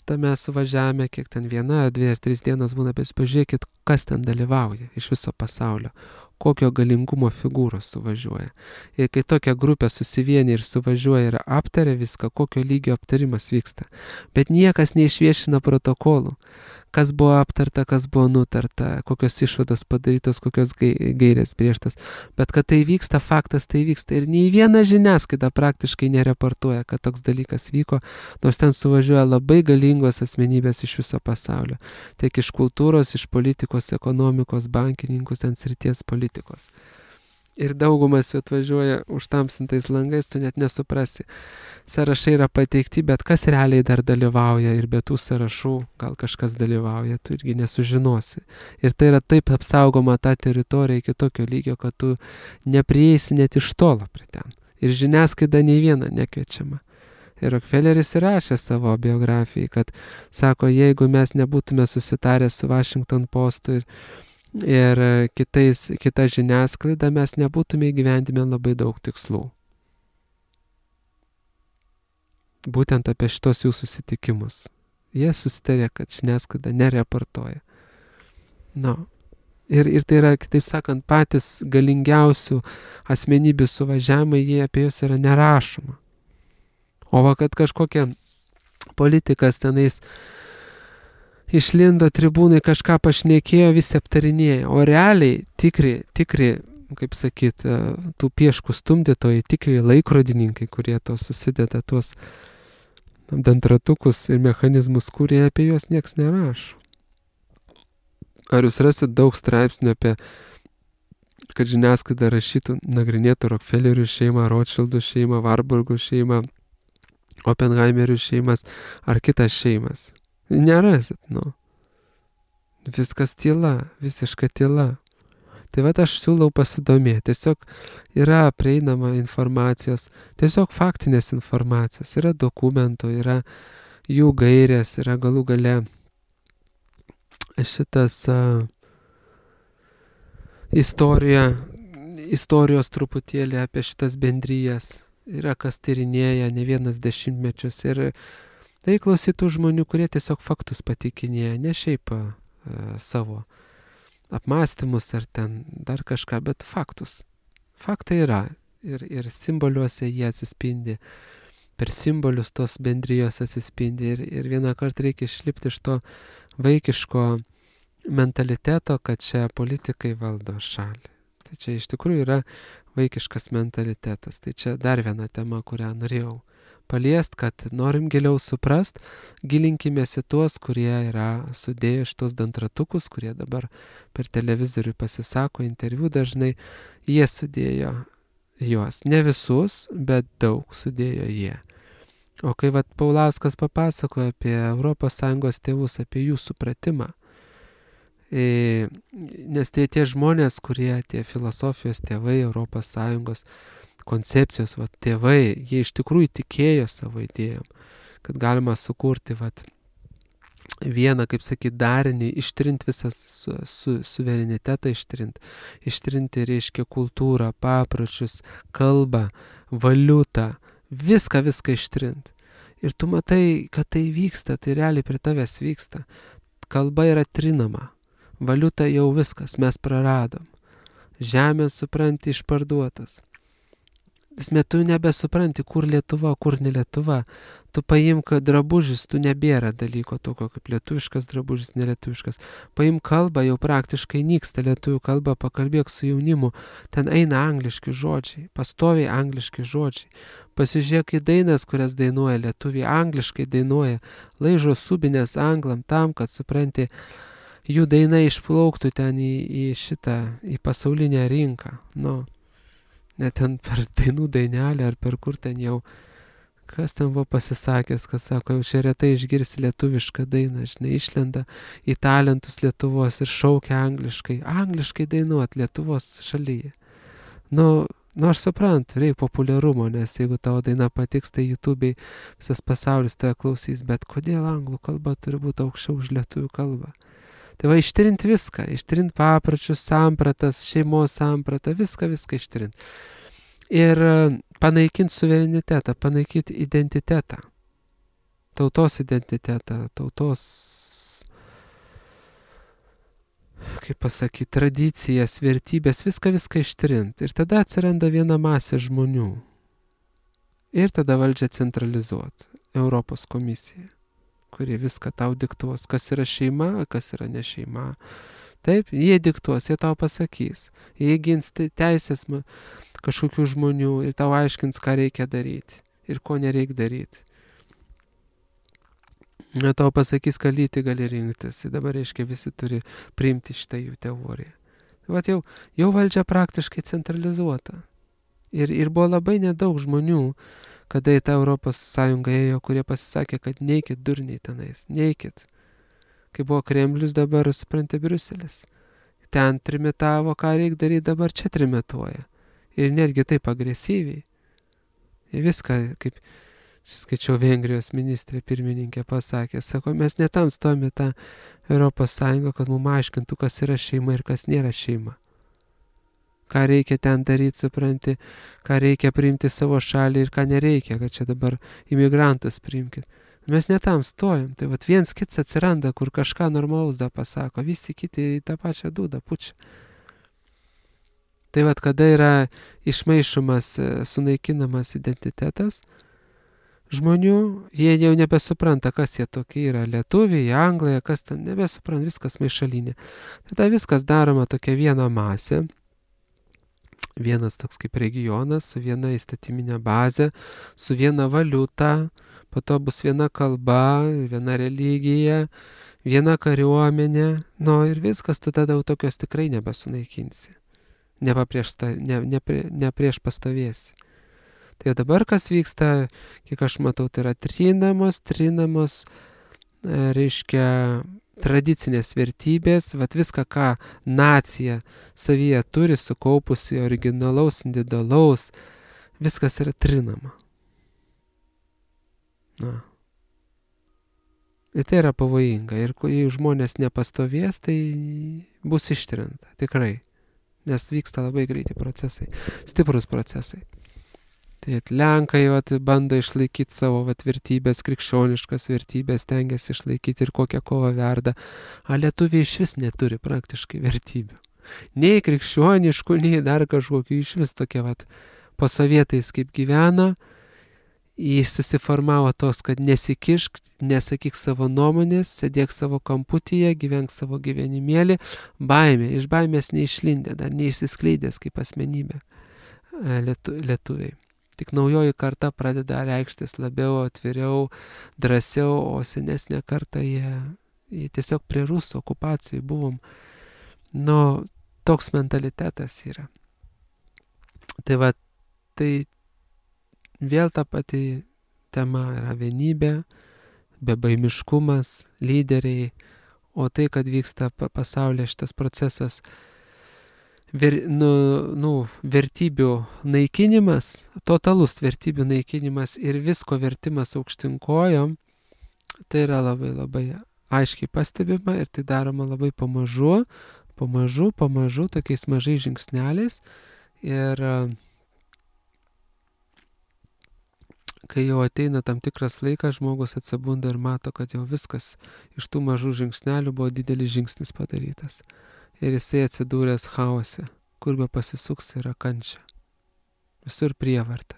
A: Tame suvažiavime, kiek ten viena, dvi ar trys dienos būna, bet pažiūrėkit, kas ten dalyvauja iš viso pasaulio, kokio galingumo figūros suvažiuoja. Ir kai tokia grupė susivienia ir suvažiuoja ir aptaria viską, kokio lygio aptarimas vyksta. Bet niekas neišviešina protokolų, kas buvo aptarta, kas buvo nutarta, kokios išvados padarytos, kokios gairės brėžtas. Bet kad tai vyksta, faktas tai vyksta. Ir nei viena žiniasklaida praktiškai nereportuoja, kad toks dalykas vyko, nors ten suvažiuoja labai galingos asmenybės iš viso pasaulio. Tiek iš kultūros, iš politikos, ekonomikos, bankininkų, ten srities politikos. Ir daugumas jų atvažiuoja užtamsintais langais, tu net nesuprasi. Sąrašai yra pateikti, bet kas realiai dar dalyvauja ir be tų sąrašų gal kažkas dalyvauja, tu irgi nesužinosi. Ir tai yra taip apsaugoma ta teritorija iki tokio lygio, kad tu neprieisi net iš tolo prie ten. Ir žiniasklaida nei viena nekviečiama. Ir Rockefelleris įrašė savo biografijai, kad sako, jeigu mes nebūtume susitarę su Washington Postu ir ir kitais, kita žiniasklaida, mes nebūtume įgyvendinę labai daug tikslų. Būtent apie šitos jų susitikimus. Jie susitarė, kad žiniasklaida nereportuoja. No. Ir, ir tai yra, kitaip sakant, patys galingiausių asmenybių suvažiavimai, jie apie juos yra nerašoma. O va, kad kažkokie politikas tenais išlindo tribūnai, kažką pašnekėjo, visi aptarinėjo, o realiai tikri, tikri, kaip sakyt, tų pieškų stumdytojai, tikri laikrodininkai, kurie to susideda tuos dantratukus ir mechanizmus, kurie apie juos nieks nerašo. Ar jūs rasit daug straipsnių apie, kad žiniasklaida rašytų, nagrinėtų Rockefellerių šeimą, Rothschildų šeimą, Warburgų šeimą, Oppenheimerių šeimas ar kitas šeimas? Nerasit, nu. Viskas tyla, visiška tyla. Tai vat aš siūlau pasidomėti. Tiesiog yra prieinama informacijos, tiesiog faktinės informacijos, yra dokumentų, yra jų gairės, yra galų gale šitas uh, istorija, istorijos truputėlį apie šitas bendrijas. Yra kas tyrinėja ne vienas dešimtmečius ir tai klausytų žmonių, kurie tiesiog faktus patikinėja, ne šiaip uh, savo apmąstymus ar ten dar kažką, bet faktus. Faktai yra ir, ir simboliuose jie atsispindi, per simbolius tos bendrijos atsispindi ir, ir vieną kartą reikia išlipti iš to vaikiško mentaliteto, kad čia politikai valdo šalį. Tai čia iš tikrųjų yra vaikiškas mentalitetas. Tai čia dar viena tema, kurią norėjau paliest, kad norim giliau suprast, gilinkimės į tuos, kurie yra sudėję šitos dantratukus, kurie dabar per televizorių pasisako, interviu dažnai, jie sudėjo juos. Ne visus, bet daug sudėjo jie. O kai vat Paulauskas papasakoja apie Europos Sąjungos tėvus, apie jų supratimą, e, nes tai tie žmonės, kurie tie filosofijos tėvai, Europos Sąjungos koncepcijos, vat, tėvai, jie iš tikrųjų tikėjo savo idėjom, kad galima sukurti vat, vieną, kaip sakyt, darinį, ištrinti visą su, su, suverenitetą, ištrinti, ištrinti, reiškia, kultūrą, papročius, kalbą, valiutą, viską, viską ištrinti. Ir tu matai, kad tai vyksta, tai realiai prie tavęs vyksta. Kalba yra trinama, valiuta jau viskas, mes praradom. Žemė, supranti, išparduotas. Esmė, tu nebesupranti, kur Lietuva, kur ne Lietuva. Tu paimk drabužis, tu nebėra dalyko tokio kaip lietuviškas drabužis, nelietuviškas. Paimk kalbą, jau praktiškai nyksta lietuvių kalba, pakalbėk su jaunimu. Ten eina angliški žodžiai, pastoviai angliški žodžiai. Pasižiūrėk į dainas, kurias dainuoja lietuviai, angliškai dainuoja, laižo subinės anglam tam, kad supranti, jų daina išplauktų ten į, į šitą, į pasaulinę rinką. Nu. Net ten per dainų dainelę ar per kur ten jau, kas ten buvo pasisakęs, kad sako, jau čia retai išgirsi lietuvišką dainą, žinai, išlenda į talentus Lietuvos ir šaukia angliškai, angliškai dainuot Lietuvos šalyje. Nu, nu aš suprantu, reikia populiarumo, nes jeigu tavo daina patiks, tai YouTube'ai visas pasaulis tave klausys, bet kodėl anglų kalba turi būti aukščiau už lietuvių kalbą? Tai va, ištrinti viską, ištrinti papročius, sampratas, šeimos sampratą, viską, viską ištrinti. Ir panaikinti suverenitetą, panaikinti identitetą, tautos identitetą, tautos, kaip pasakyti, tradicijas, vertybės, viską, viską ištrinti. Ir tada atsiranda viena masė žmonių. Ir tada valdžia centralizuoti, Europos komisija, kurie viską tau diktuos, kas yra šeima, kas yra ne šeima. Taip, jie diktuos, jie tau pasakys. Jie gins teisės kažkokių žmonių ir tau aiškins, ką reikia daryti ir ko nereikia daryti. Jie tau pasakys, ką lyti gali rinktis. Ir dabar, reiškia, visi turi priimti šitą jų teoriją. Vat jau, jau valdžia praktiškai centralizuota. Ir, ir buvo labai nedaug žmonių, kada į tą Europos Sąjungą ėjo, kurie pasisakė, kad neikit durniai tenais, neikit. Kai buvo Kremlius, dabar, supranti, Briuselis. Ten trimitavo, ką reikia daryti, dabar čia trimituoja. Ir netgi taip agresyviai. Ir viską, kaip skaičiau, Vengrijos ministrė pirmininkė pasakė, sako, mes netam stojame tą Europos Sąjungą, kad mums aiškintų, kas yra šeima ir kas nėra šeima. Ką reikia ten daryti, supranti, ką reikia priimti savo šalį ir ką nereikia, kad čia dabar imigrantus priimkit. Mes netam stojam, tai vat viens kits atsiranda, kur kažką normalaus da pasako, visi kiti į tą pačią dūdą pučia. Tai vat kada yra išmaišomas, sunaikinamas identitetas, žmonių, jie jau nebesupranta, kas jie tokie yra, lietuviai, anglai, kas ten, nebesupranta, viskas maišalinė. Tada viskas daroma tokia viena masė, vienas toks kaip regionas, su viena įstatyminė bazė, su viena valiuta, po to bus viena kalba, viena religija, viena kariuomenė, nu ir viskas, tu tada jau tokios tikrai nebesunaikinsi, nepaprieš, ne, ne, ne prieš pastovėsi. Tai dabar kas vyksta, kiek aš matau, tai yra trinamos, trinamos, reiškia, tradicinės vertybės, vat viską, ką nacija savyje turi sukaupusi originalaus, individualaus, viskas yra trinama. Na. Ir tai yra pavojinga. Ir jei žmonės nepastovės, tai bus ištrinta, tikrai. Nes vyksta labai greiti procesai, stiprus procesai. Tai Lenkai vat, bando išlaikyti savo vat, vertybės, krikščioniškas vertybės, stengiasi išlaikyti ir kokią kovą verda. A lietuviai iš vis neturi praktiškai vertybių. Nei krikščioniškų, nei dar kažkokių, iš vis tokie vat, po sovietais kaip gyveno, jis susiformavo tos, kad nesikišk, nesakyk savo nuomonės, sėdėk savo kamputyje, gyvenk savo gyvenimėlį, baimė, iš baimės neišlindė, dar neišsiskleidęs kaip asmenybė lietu, lietuviai. Tik naujoji karta pradeda reikštis labiau, atviriau, drąsiau, o senesnė karta jie, jie tiesiog prie rusų okupacijų buvom. Nu, toks mentalitetas yra. Tai va, tai vėl ta pati tema yra vienybė, bebaimiškumas, lyderiai, o tai, kad vyksta pasaulyje šitas procesas, Ver, nu, nu, vertybių naikinimas, totalus vertybių naikinimas ir visko vertimas aukštinkojom, tai yra labai labai aiškiai pastebima ir tai daroma labai pamažu, pamažu, pamažu, tokiais mažais žingsneliais. Ir kai jau ateina tam tikras laikas, žmogus atsibunda ir mato, kad jau viskas iš tų mažų žingsnelių buvo didelis žingsnis padarytas. Ir jisai atsidūręs chaose, kur be pasisuks yra kančia. Visur prievarta.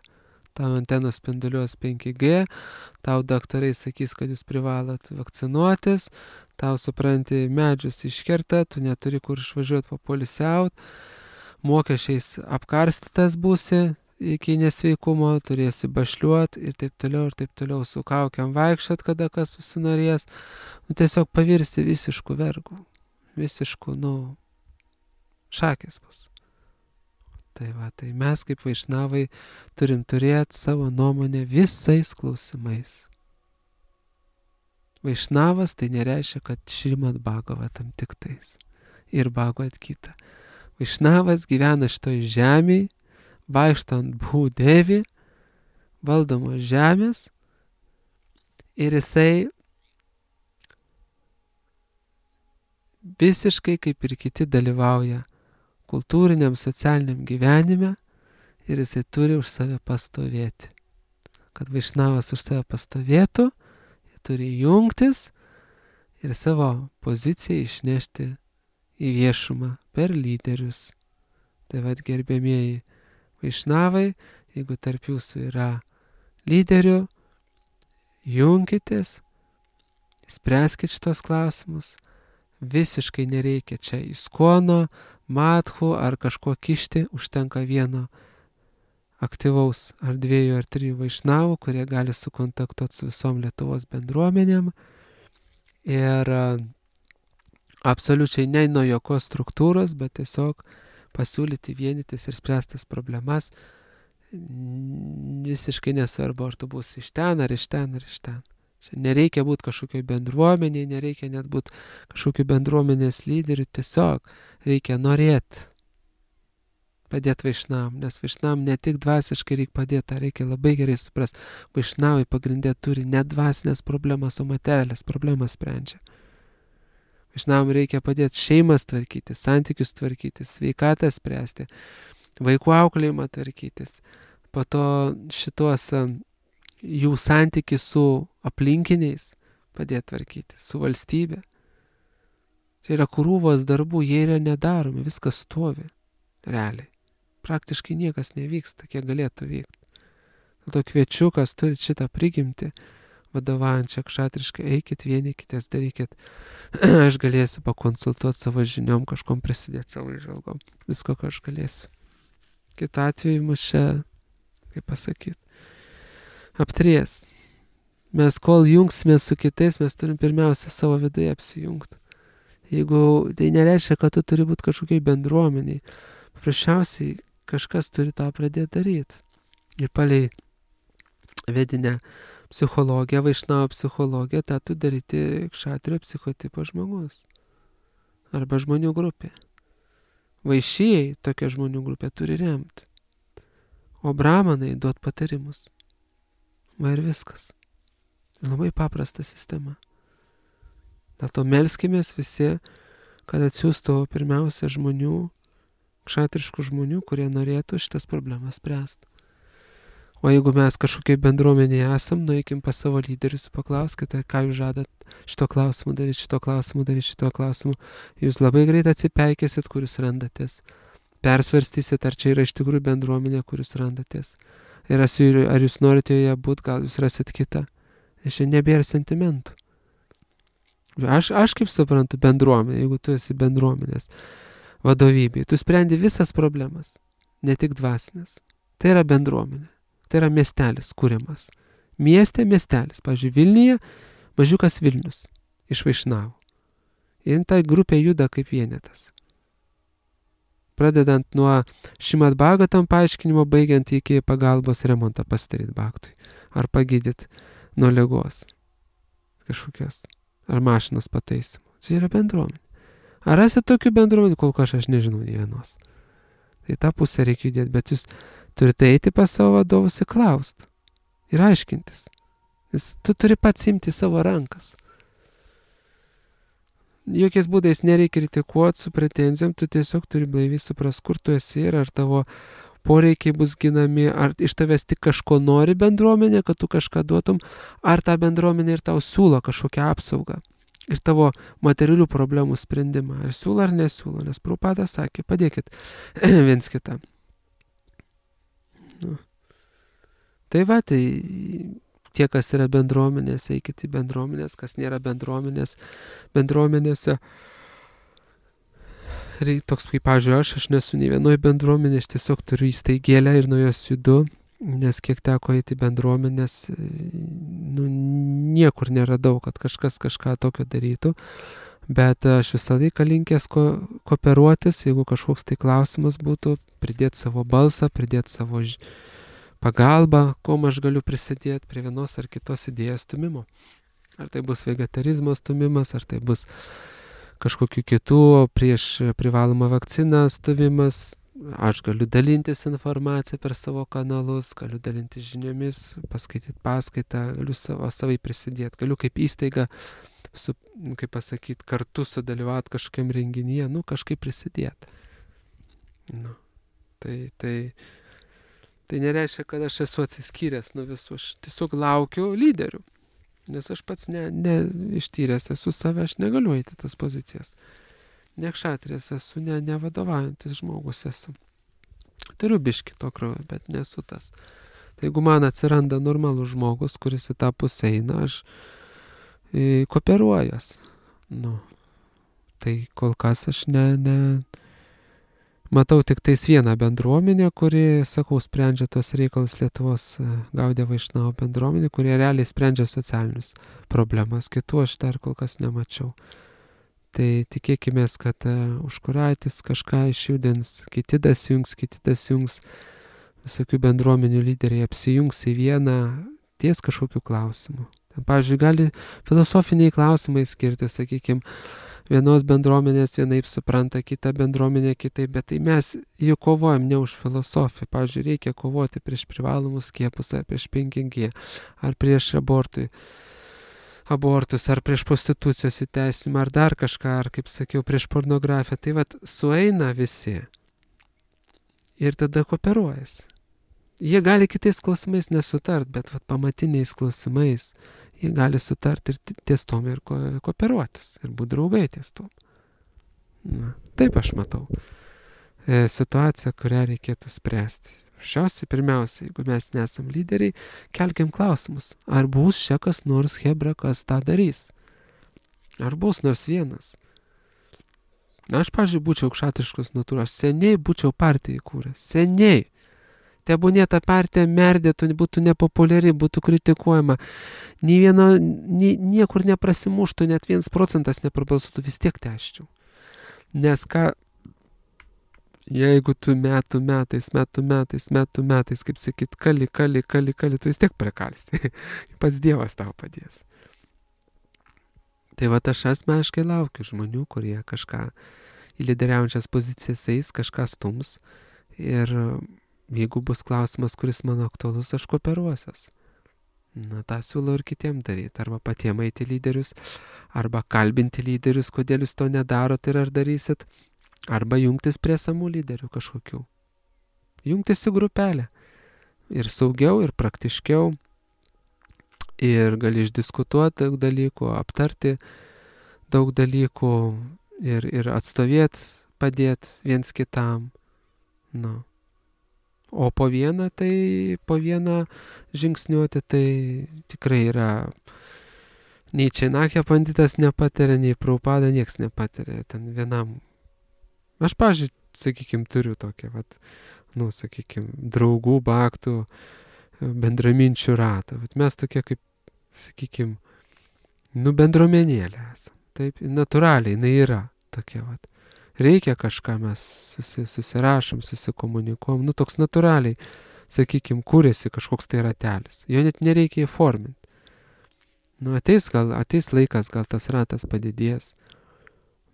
A: Tau antenos spinduliuos penki G, tau daktarai sakys, kad jūs privalot vakcinuotis, tau supranti medžius iškerta, tu neturi kur išvažiuoti papolisiaut, mokesčiais apkarstytas būsi iki nesveikumo, turėsi bašliuot ir taip toliau, ir taip toliau su kaukiam vaikščiot, kada kas susinorės, nu, tiesiog pavirsti visiškų vergų. Visiškų, nu, šakės bus. Tai va, tai mes kaip vaišnavai turim turėti savo nuomonę visais klausimais. Vaišnavas tai nereiškia, kad Šrimad Bhagavatam tik tais ir Bhagavad Gita. Vaišnavas gyvena šitoj žemėj, vaikšto ant Bhudevi, valdomos žemės ir jisai visiškai kaip ir kiti dalyvauja kultūriniam, socialiniam gyvenime ir jisai turi už save pastovėti. Kad vaišnavas už save pastovėtų, jie turi jungtis ir savo poziciją išnešti į viešumą per lyderius. Tai vad gerbėmieji vaišnavai, jeigu tarp jūsų yra lyderių, junkitės, spręskit šitos klausimus. Visiškai nereikia čia iskono, matchų ar kažko kišti, užtenka vieno aktyvaus ar dviejų ar trijų vaišnavų, kurie gali sukontaktuoti su visom Lietuvos bendruomenėm ir absoliučiai ne nuo jokios struktūros, bet tiesiog pasiūlyti vienytis ir spręstas problemas. Visiškai nesvarbu, ar tu būsi iš ten, ar iš ten, ar iš ten. Čia nereikia būti kažkokioj bendruomeniai, nereikia net būti kažkokiu bendruomenės lyderiu, tiesiog reikia norėti padėti vaišnavam, nes vaišnavam ne tik dvasiškai reikia padėti, reikia labai gerai suprasti, vaišnavai pagrindė turi ne dvasinės problemas, o materialės problemas sprendžia. Vaišnavam reikia padėti šeimas tvarkyti, santykius tvarkyti, sveikatą spręsti, vaikų auklėjimą tvarkytis, po to šitos jų santykių su aplinkiniais padėti tvarkyti, su valstybė. Tai yra krūvos darbų, jie yra nedaromi, viskas stovi, realiai. Praktiškai niekas nevyksta, kiek galėtų vykti. Dėl to kviečiu, kas turi šitą prigimtį, vadovaujančią kšatriškai, eikit, vienykitės, darykit. Aš galėsiu pakonsultuoti savo žiniom, kažkom prisidėti savo įžvalgom. Visko, ką aš galėsiu. Kitu atveju mus čia, kaip pasakyti, aptries. Mes kol jungsime su kitais, mes turim pirmiausia savo viduje apsijungti. Jeigu tai nereiškia, kad tu turi būti kažkokiai bendruomeniai, paprasčiausiai kažkas turi tą pradėti daryti. Ir palei vedinę psichologiją, Vaišnavo psichologiją, tą tu daryti kšatrio psichotipo žmogus. Arba žmonių grupė. Vaišėjai tokia žmonių grupė turi remti. O bramanai duot patarimus. Va ir viskas. Labai paprasta sistema. Dėl to melskimės visi, kad atsiųstų pirmiausia žmonių, kšatriškų žmonių, kurie norėtų šitas problemas spręsti. O jeigu mes kažkokiai bendruomenėje esam, nueikim pas savo lyderius, paklauskite, ką jūs žadat šito klausimu daryti, šito klausimu daryti, šito klausimu. Jūs labai greit atsipeikėsit, kur jūs randatės. Persvarstysit, ar čia yra iš tikrųjų bendruomenė, kur jūs randatės. Ir ar jūs norite joje būti, gal jūs rasit kitą. Ir čia nebėra sentimentų. Aš, aš kaip suprantu bendruomenė, jeigu tu esi bendruomenės vadovybė, tu sprendi visas problemas, ne tik dvasinės. Tai yra bendruomenė, tai yra miestelis kūrimas. Mieste miestelis, pavyzdžiui, Vilniuje mažiukas Vilnius iš Vaišnavų. Ir ta grupė juda kaip vienetas. Pradedant nuo Šimad Bhagavatam paaiškinimo, baigiant iki pagalbos remontą pasidaryt baktui. Ar pagydyt nuo ligos kažkokios. Ar mašinos pataisimų. Tai yra bendruomenė. Ar rasit tokių bendruomenių, kol kas aš nežinau nei vienos. Tai tą pusę reikia judėti, bet jūs turite eiti pas savo vadovus ir klausti. Ir aiškintis. Nes tu turi pats imti savo rankas. Jokiais būdais nereikia kritikuoti su pretenzijom, tu tiesiog turi blaiviai supras, kur tu esi ir ar tavo poreikiai bus ginami, ar iš tavęs tik kažko nori bendruomenė, kad tu kažką duotum, ar ta bendruomenė ir tau siūlo kažkokią apsaugą ir tavo materialių problemų sprendimą. Ar siūlo ar nesiūlo, nes Prabhupada sakė, padėkit viens kitam. Nu. Tai va, tai tie, kas yra bendruomenės, eikit į bendruomenės, kas nėra bendruomenės, bendruomenėse. Toks kaip, pavyzdžiui, aš, aš nesu nei vienoj bendruomenė, aš tiesiog turiu įstaigėlę ir nuo jos judu, nes kiek teko eiti bendruomenės, nu, niekur neradau, kad kažkas kažką tokio darytų, bet aš visą laiką linkęs ko, kooperuotis, jeigu kažkoks tai klausimas būtų, pridėti savo balsą, pridėti savo ž... pagalbą, kuom aš galiu prisidėti prie vienos ar kitos idėjos stumimo. Ar tai bus vegetarizmo stumimas, ar tai bus kažkokiu kitų prieš privalomą vakciną stumimas. Aš galiu dalintis informaciją per savo kanalus, galiu dalintis žiniomis, paskaityti paskaitą, galiu savo, savai prisidėti, galiu kaip įstaiga, su, kaip pasakyti, kartu sudalyvauti kažkokiam renginyje, nu kažkaip prisidėti. Nu, tai, tai, tai nereiškia, kad aš esu atsiskyręs nuo visų, aš tiesiog laukiu lyderių. Nes aš pats ne, ne ištyręs esu save, aš negaliu eiti tas pozicijas. Ne kšatrės esu, ne, ne vadovaujantis žmogus esu. Turiu biškį to kraujo, bet nesu tas. Tai jeigu man atsiranda normalus žmogus, kuris į tą pusę eina, aš e, kooperuojas. Nu, tai kol kas aš ne, ne... Matau tik tais vieną bendruomenę, kuri, sakau, sprendžia tos reikalus Lietuvos Gaudiya Vaišnava bendruomenė, kurie realiai sprendžia socialinius problemas. Kitų aš dar kol kas nemačiau. Tai tikėkimės, kad uh, užkuraitis kažką išjudins, kiti dasijungs, kiti dasijungs, visokių bendruomenių lyderiai apsijungs į vieną ties kažkokiu klausimu. Ten, pavyzdžiui, gali filosofiniai klausimai skirti, sakykime, vienos bendruomenės vienaip supranta, kita bendruomenė kitaip, bet tai mes jau kovojam ne už filosofiją. Pavyzdžiui, reikia kovoti prieš privalomus skiepus, ar prieš penki gie, ar prieš abortui. abortus, ar prieš prostitucijos įteisinimą, ar dar kažką, ar, kaip sakiau, prieš pornografiją. Tai vat sueina visi ir tada kooperuojasi. Jie gali kitais klausimais nesutart, bet vat pamatiniais klausimais jie gali sutart ir ties tom ir ko- kooperuotis, ir būti draugai ties tom. Na, taip aš matau. e, situacija, kurią reikėtų spręsti. Šiausiai, pirmiausia, jeigu mes nesam lyderiai, kelkim klausimus. Ar bus čia kas nors hebra, kas tą darys? Ar bus nors vienas? Aš, pavyzdžiui, būčiau aukštaitiškos natūros. Seniai būčiau partiją įkūręs. Seniai. Tebūnie ta partija merdėtų, būtų nepopuliari, būtų kritikuojama. Nė vieno, nie, niekur neprasimuštų, net vienas procentas neprabalsuotų, vis tiek tęsčiau. Nes ką, jeigu tu metų metais, metų metais, metų metais, kaip sakyt, kali, kali, kali, kali, tu vis tiek prikalsti. Pats Dievas tau padės. Tai va aš asmeniškai laukiu žmonių, kurie kažką į lyderiaujančias pozicijas eis, kažką stums. Ir jeigu bus klausimas, kuris man aktualus, aš kooperuosias. Na, tą siūlau ir kitiem daryti. Arba patiem eiti lyderius, arba kalbinti lyderius, kodėl jūs to nedarot ir ar darysit. Arba jungtis prie samų lyderių kažkokių. Jungtis į grupelę. Ir saugiau, ir praktiškiau. Ir gali išdiskutuoti daug dalykų, aptarti daug dalykų ir, ir atstovėti, padėti viens kitam. Na. O po vieną, tai po vieną žingsniuoti, tai tikrai yra nei Čenakė banditas nepatiria, nei Prabhupada nieks nepatiria. Ten vienam. Aš, pavyzdžiui, sakykim, turiu tokią, vat, nu, sakykim, draugų, baktų, bendraminčių ratą. Vat mes tokie kaip, sakykim, nu, bendruomenėlė esam. Taip, natūraliai, jinai yra tokia, vat. Reikia kažką, mes susi, susirašom, susikomunikuom, nu, toks natūraliai, sakykim, kūrėsi kažkoks tai ratelis. Jo net nereikia įforminti. Nu, ateis, gal, ateis laikas, gal tas ratas padidės.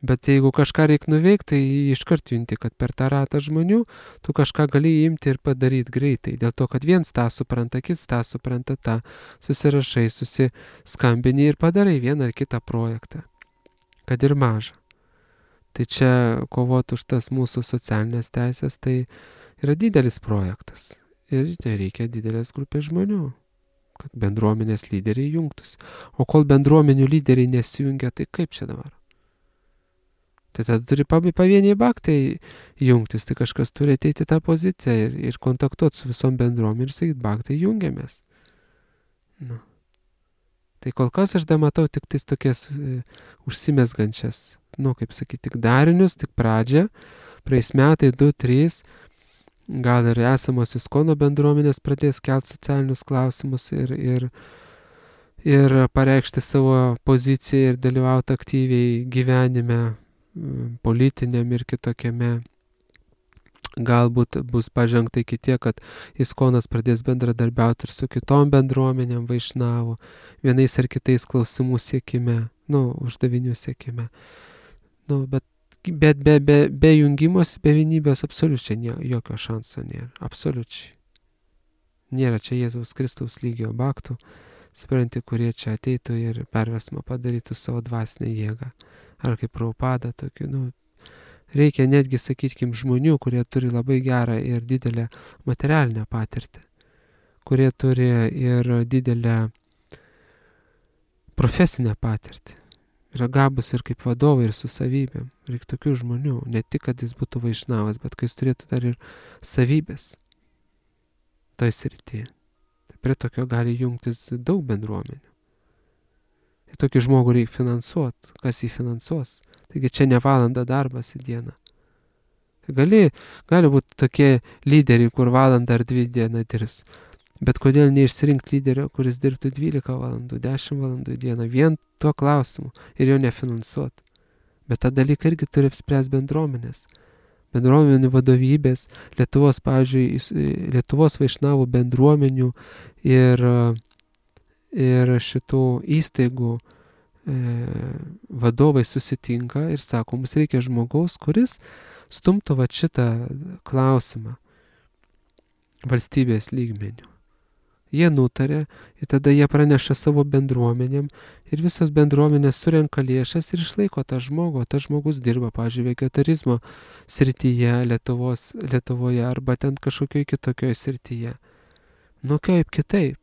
A: Bet jeigu kažką reikia nuveikti, tai iškart junti, kad per tą ratą žmonių tu kažką gali imti ir padaryti greitai. Dėl to, kad viens tą supranta, kits tą supranta, tą susirašai, susiskambini ir padarai vieną ar kitą projektą. Kad ir mažą. Tai čia kovoti už tas mūsų socialinės teisės, tai yra didelis projektas. Ir reikia didelės grupės žmonių, kad bendruomenės lyderiai jungtųsi. O kol bendruomenių lyderiai nesijungia, tai kaip čia dabar? Tai tada turi pavieniai baktai jungtis, tai kažkas turi ateiti tą poziciją ir, ir kontaktuoti su visom bendruomenėm ir sakyti, baktai jungiamės. Nu. Tai kol kas aš dar matau tik tais tokias e, užsimesgančias, nu, kaip sakyti, tik darinius, tik pradžią, praeis metai, du, trys, gal ir esamos Iskono bendruomenės pradės kelti socialinius klausimus ir, ir, ir pareikšti savo poziciją ir dalyvauti aktyviai gyvenime, politiniam ir kitokiame. Galbūt bus pažengta iki tiek, kad Iskonas pradės bendradarbiauti ir su kitom bendruomenėm vaišnavų, vienais ar kitais klausimų siekime, nu, uždavinių siekime. Nu, bet, bet be, be, be jungimos, be vienybės absoliučiai nė, jokio šanso nėra. Absoliučiai. Nėra čia Jėzaus Kristaus lygio baktų, supranti, kurie čia ateitų ir perversmą padarytų savo dvasinę jėgą. Ar kaip Prabhupada, tokių, nu, reikia netgi, sakykim, žmonių, kurie turi labai gerą ir didelę materialinę patirtį, kurie turi ir didelę profesinę patirtį, yra gabus ir kaip vadovai, ir su savybėm. Reikia tokių žmonių, ne tik, kad jis būtų vaišnavas, bet kad jis turėtų dar ir savybės toj srityje. Tai prie tokio gali jungtis daug bendruomenių. Ir tokį žmogų reikia finansuoti. Kas jį finansuos? Taigi čia ne valanda darbas į dieną. Tai gali, gali būti tokie lyderiai, kur valandą ar dvi dieną dirbs. Bet kodėl neišsirinkti lyderio, kuris dirbtų dvylika valandų, dešimt valandų į dieną, vien tuo klausimu ir jo nefinansuoti. Bet tą dalyką irgi turi apspręsti bendruomenės. Bendruomenių vadovybės, Lietuvos, pavyzdžiui, Lietuvos vaišnavų bendruomenių ir ir šitų įstaigų e, vadovai susitinka ir sako, mums reikia žmogaus, kuris stumtų va šitą klausimą valstybės lygmenių. Jie nutarė ir tada jie praneša savo bendruomenėm ir visos bendruomenės surenka lėšas ir išlaiko tą žmogų, o tas žmogus dirba, pavyzdžiui, vegetarizmo srityje Lietuvos, Lietuvoje arba ten kažkokioj kitokioj srityje. Nu kaip kitaip?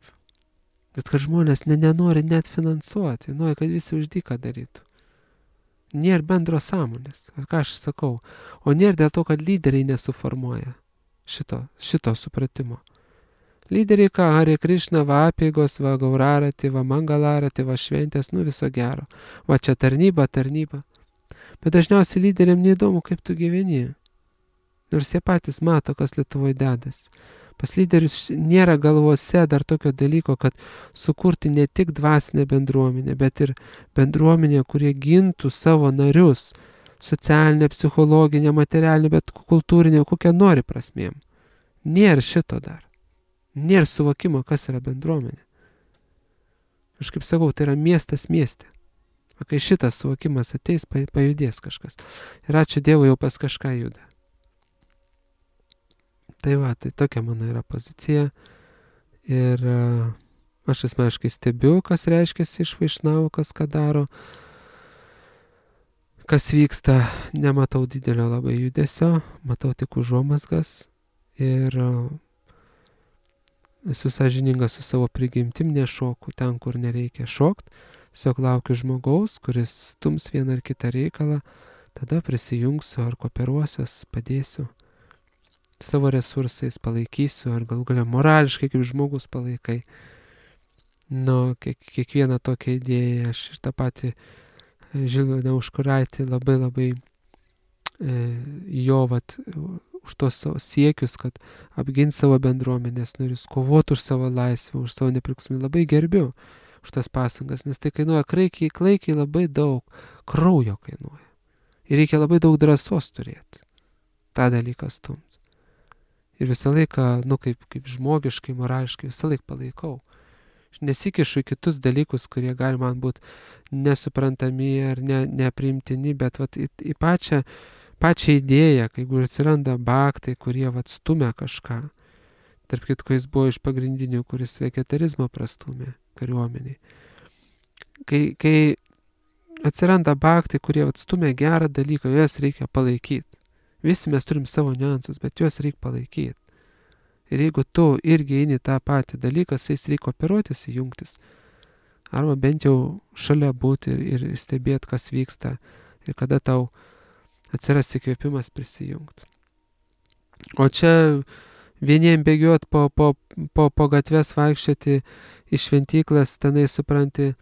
A: Bet kad žmonės ne, nenori net finansuoti, nori, kad visi už dyką darytų. Nėra bendro sąmonės, ką aš sakau. O nėra dėl to, kad lyderiai nesuformuoja šito, šito supratimo. Lyderiai ką, Hare Krishna, va apeigos, va gaurarati, va mangalarati, va šventės, nu viso gero. Va čia tarnyba, tarnyba. Bet dažniausiai lyderiam neįdomu, kaip tu gyveni. Nors jie patys mato, kas Lietuvoje dedas. Pas lyderius nėra galvose dar tokio dalyko, kad sukurti ne tik dvasinę bendruomenę, bet ir bendruomenę, kurie gintų savo narius, socialinę, psichologinę, materialinę, bet kultūrinę, kokią nori prasmėm. Nėra šito dar. Nėra suvokimo, kas yra bendruomenė. Aš kaip sakau, tai yra miestas mieste. O kai šitas suvokimas ateis, pajudės kažkas. Ir ačiū Dievui, jau pas kažką juda. Tai va, tai tokia mano yra pozicija. Ir uh, aš asmeniškai stebiu, kas reiškiasi iš vaišnavų, kas ką daro. Kas vyksta, nematau didelio labai judesio, matau tik užuomazgas. Ir uh, esu sąžiningas su savo prigimtim, nešoku ten, kur nereikia šokt. Tiesiog laukiu žmogaus, kuris stums vieną ar kitą reikalą, tada prisijungsiu ar kooperuosios, padėsiu. Savo resursais palaikysiu, ar gal galia morališkai kaip žmogus palaikai. Nu, kiek, kiekvieną tokią idėją, aš ir tą patį Žilviną Užkuraitį labai labai e, jo vat, už tos savo siekius, kad apgint savo bendruomenės narius, kovoti už savo laisvę, už savo nepriklausomybę, labai gerbiu už tas pasangas, nes tai kainuoja klaikiai, klaikiai labai daug, kraujo kainuoja. Ir reikia labai daug drąsos turėti, tą dalyką stumti. Ir visą laiką, nu kaip, kaip žmogiškai, morališkai, visą laiką palaikau. Aš nesikišu į kitus dalykus, kurie gali man būti nesuprantami ar ne, nepriimtini, bet vat, į, į pačią, pačią idėją, kai atsiranda baktai, kurie vat, stumia kažką. Tarp kitko jis buvo iš pagrindinių, kuris vegetarizmą prastumė kariuomeniai. Kai, kai atsiranda baktai, kurie vat, stumia gerą dalyką, juos reikia palaikyti. Visi mes turim savo niuansus, bet juos reikia palaikyti. Ir jeigu tu irgi eini tą patį dalyką, su jais reikia operuotis, jungtis. Arba bent jau šalia būti ir, ir stebėti, kas vyksta. Ir kada tau atsiras įkvėpimas prisijungti. O čia vieniem bėgiot po, po, po, po gatves vaikščioti iš šventyklas, tenai supranti,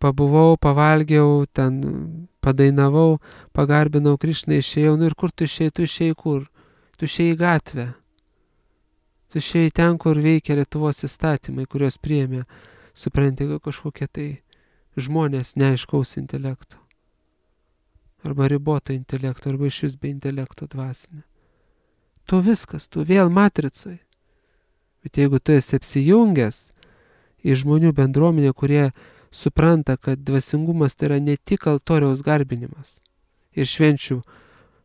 A: pabuvau, pavalgiau, ten padainavau, pagarbinau Krišną, išėjau, nu ir kur tu išėjai, tu išėjai kur? Tu išėjai į gatvę. Tu išėjai ten, kur veikia Lietuvos įstatymai, kurios priėmė, supranti, kažkokie tai žmonės neaiškaus intelekto. Arba riboto intelekto, arba iš vis be intelekto dvasinė. Tu viskas, tu vėl matricoj. Bet jeigu tu esi apsijungęs į žmonių bendruomenę, kurie supranta, kad dvasingumas tai yra ne tik altoriaus garbinimas ir švenčių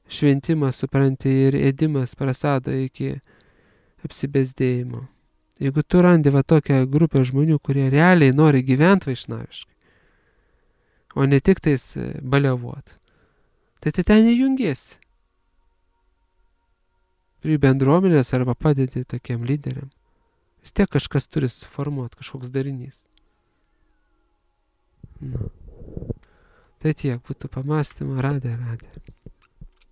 A: šventimas, supranti, ir ėdimas prasado iki apsibesdėjimo. Jeigu tu randi va tokią grupę žmonių, kurie realiai nori gyventi vaišnaviškai, o ne tik tais baliavot, tai tai ten įjungiesi. Prie bendruomenės arba padėti tokiem lyderiam. Vis tiek kažkas turi suformuoti, kažkoks darinys. Nu. Tai tiek būtų pamąstymą, radė, radė.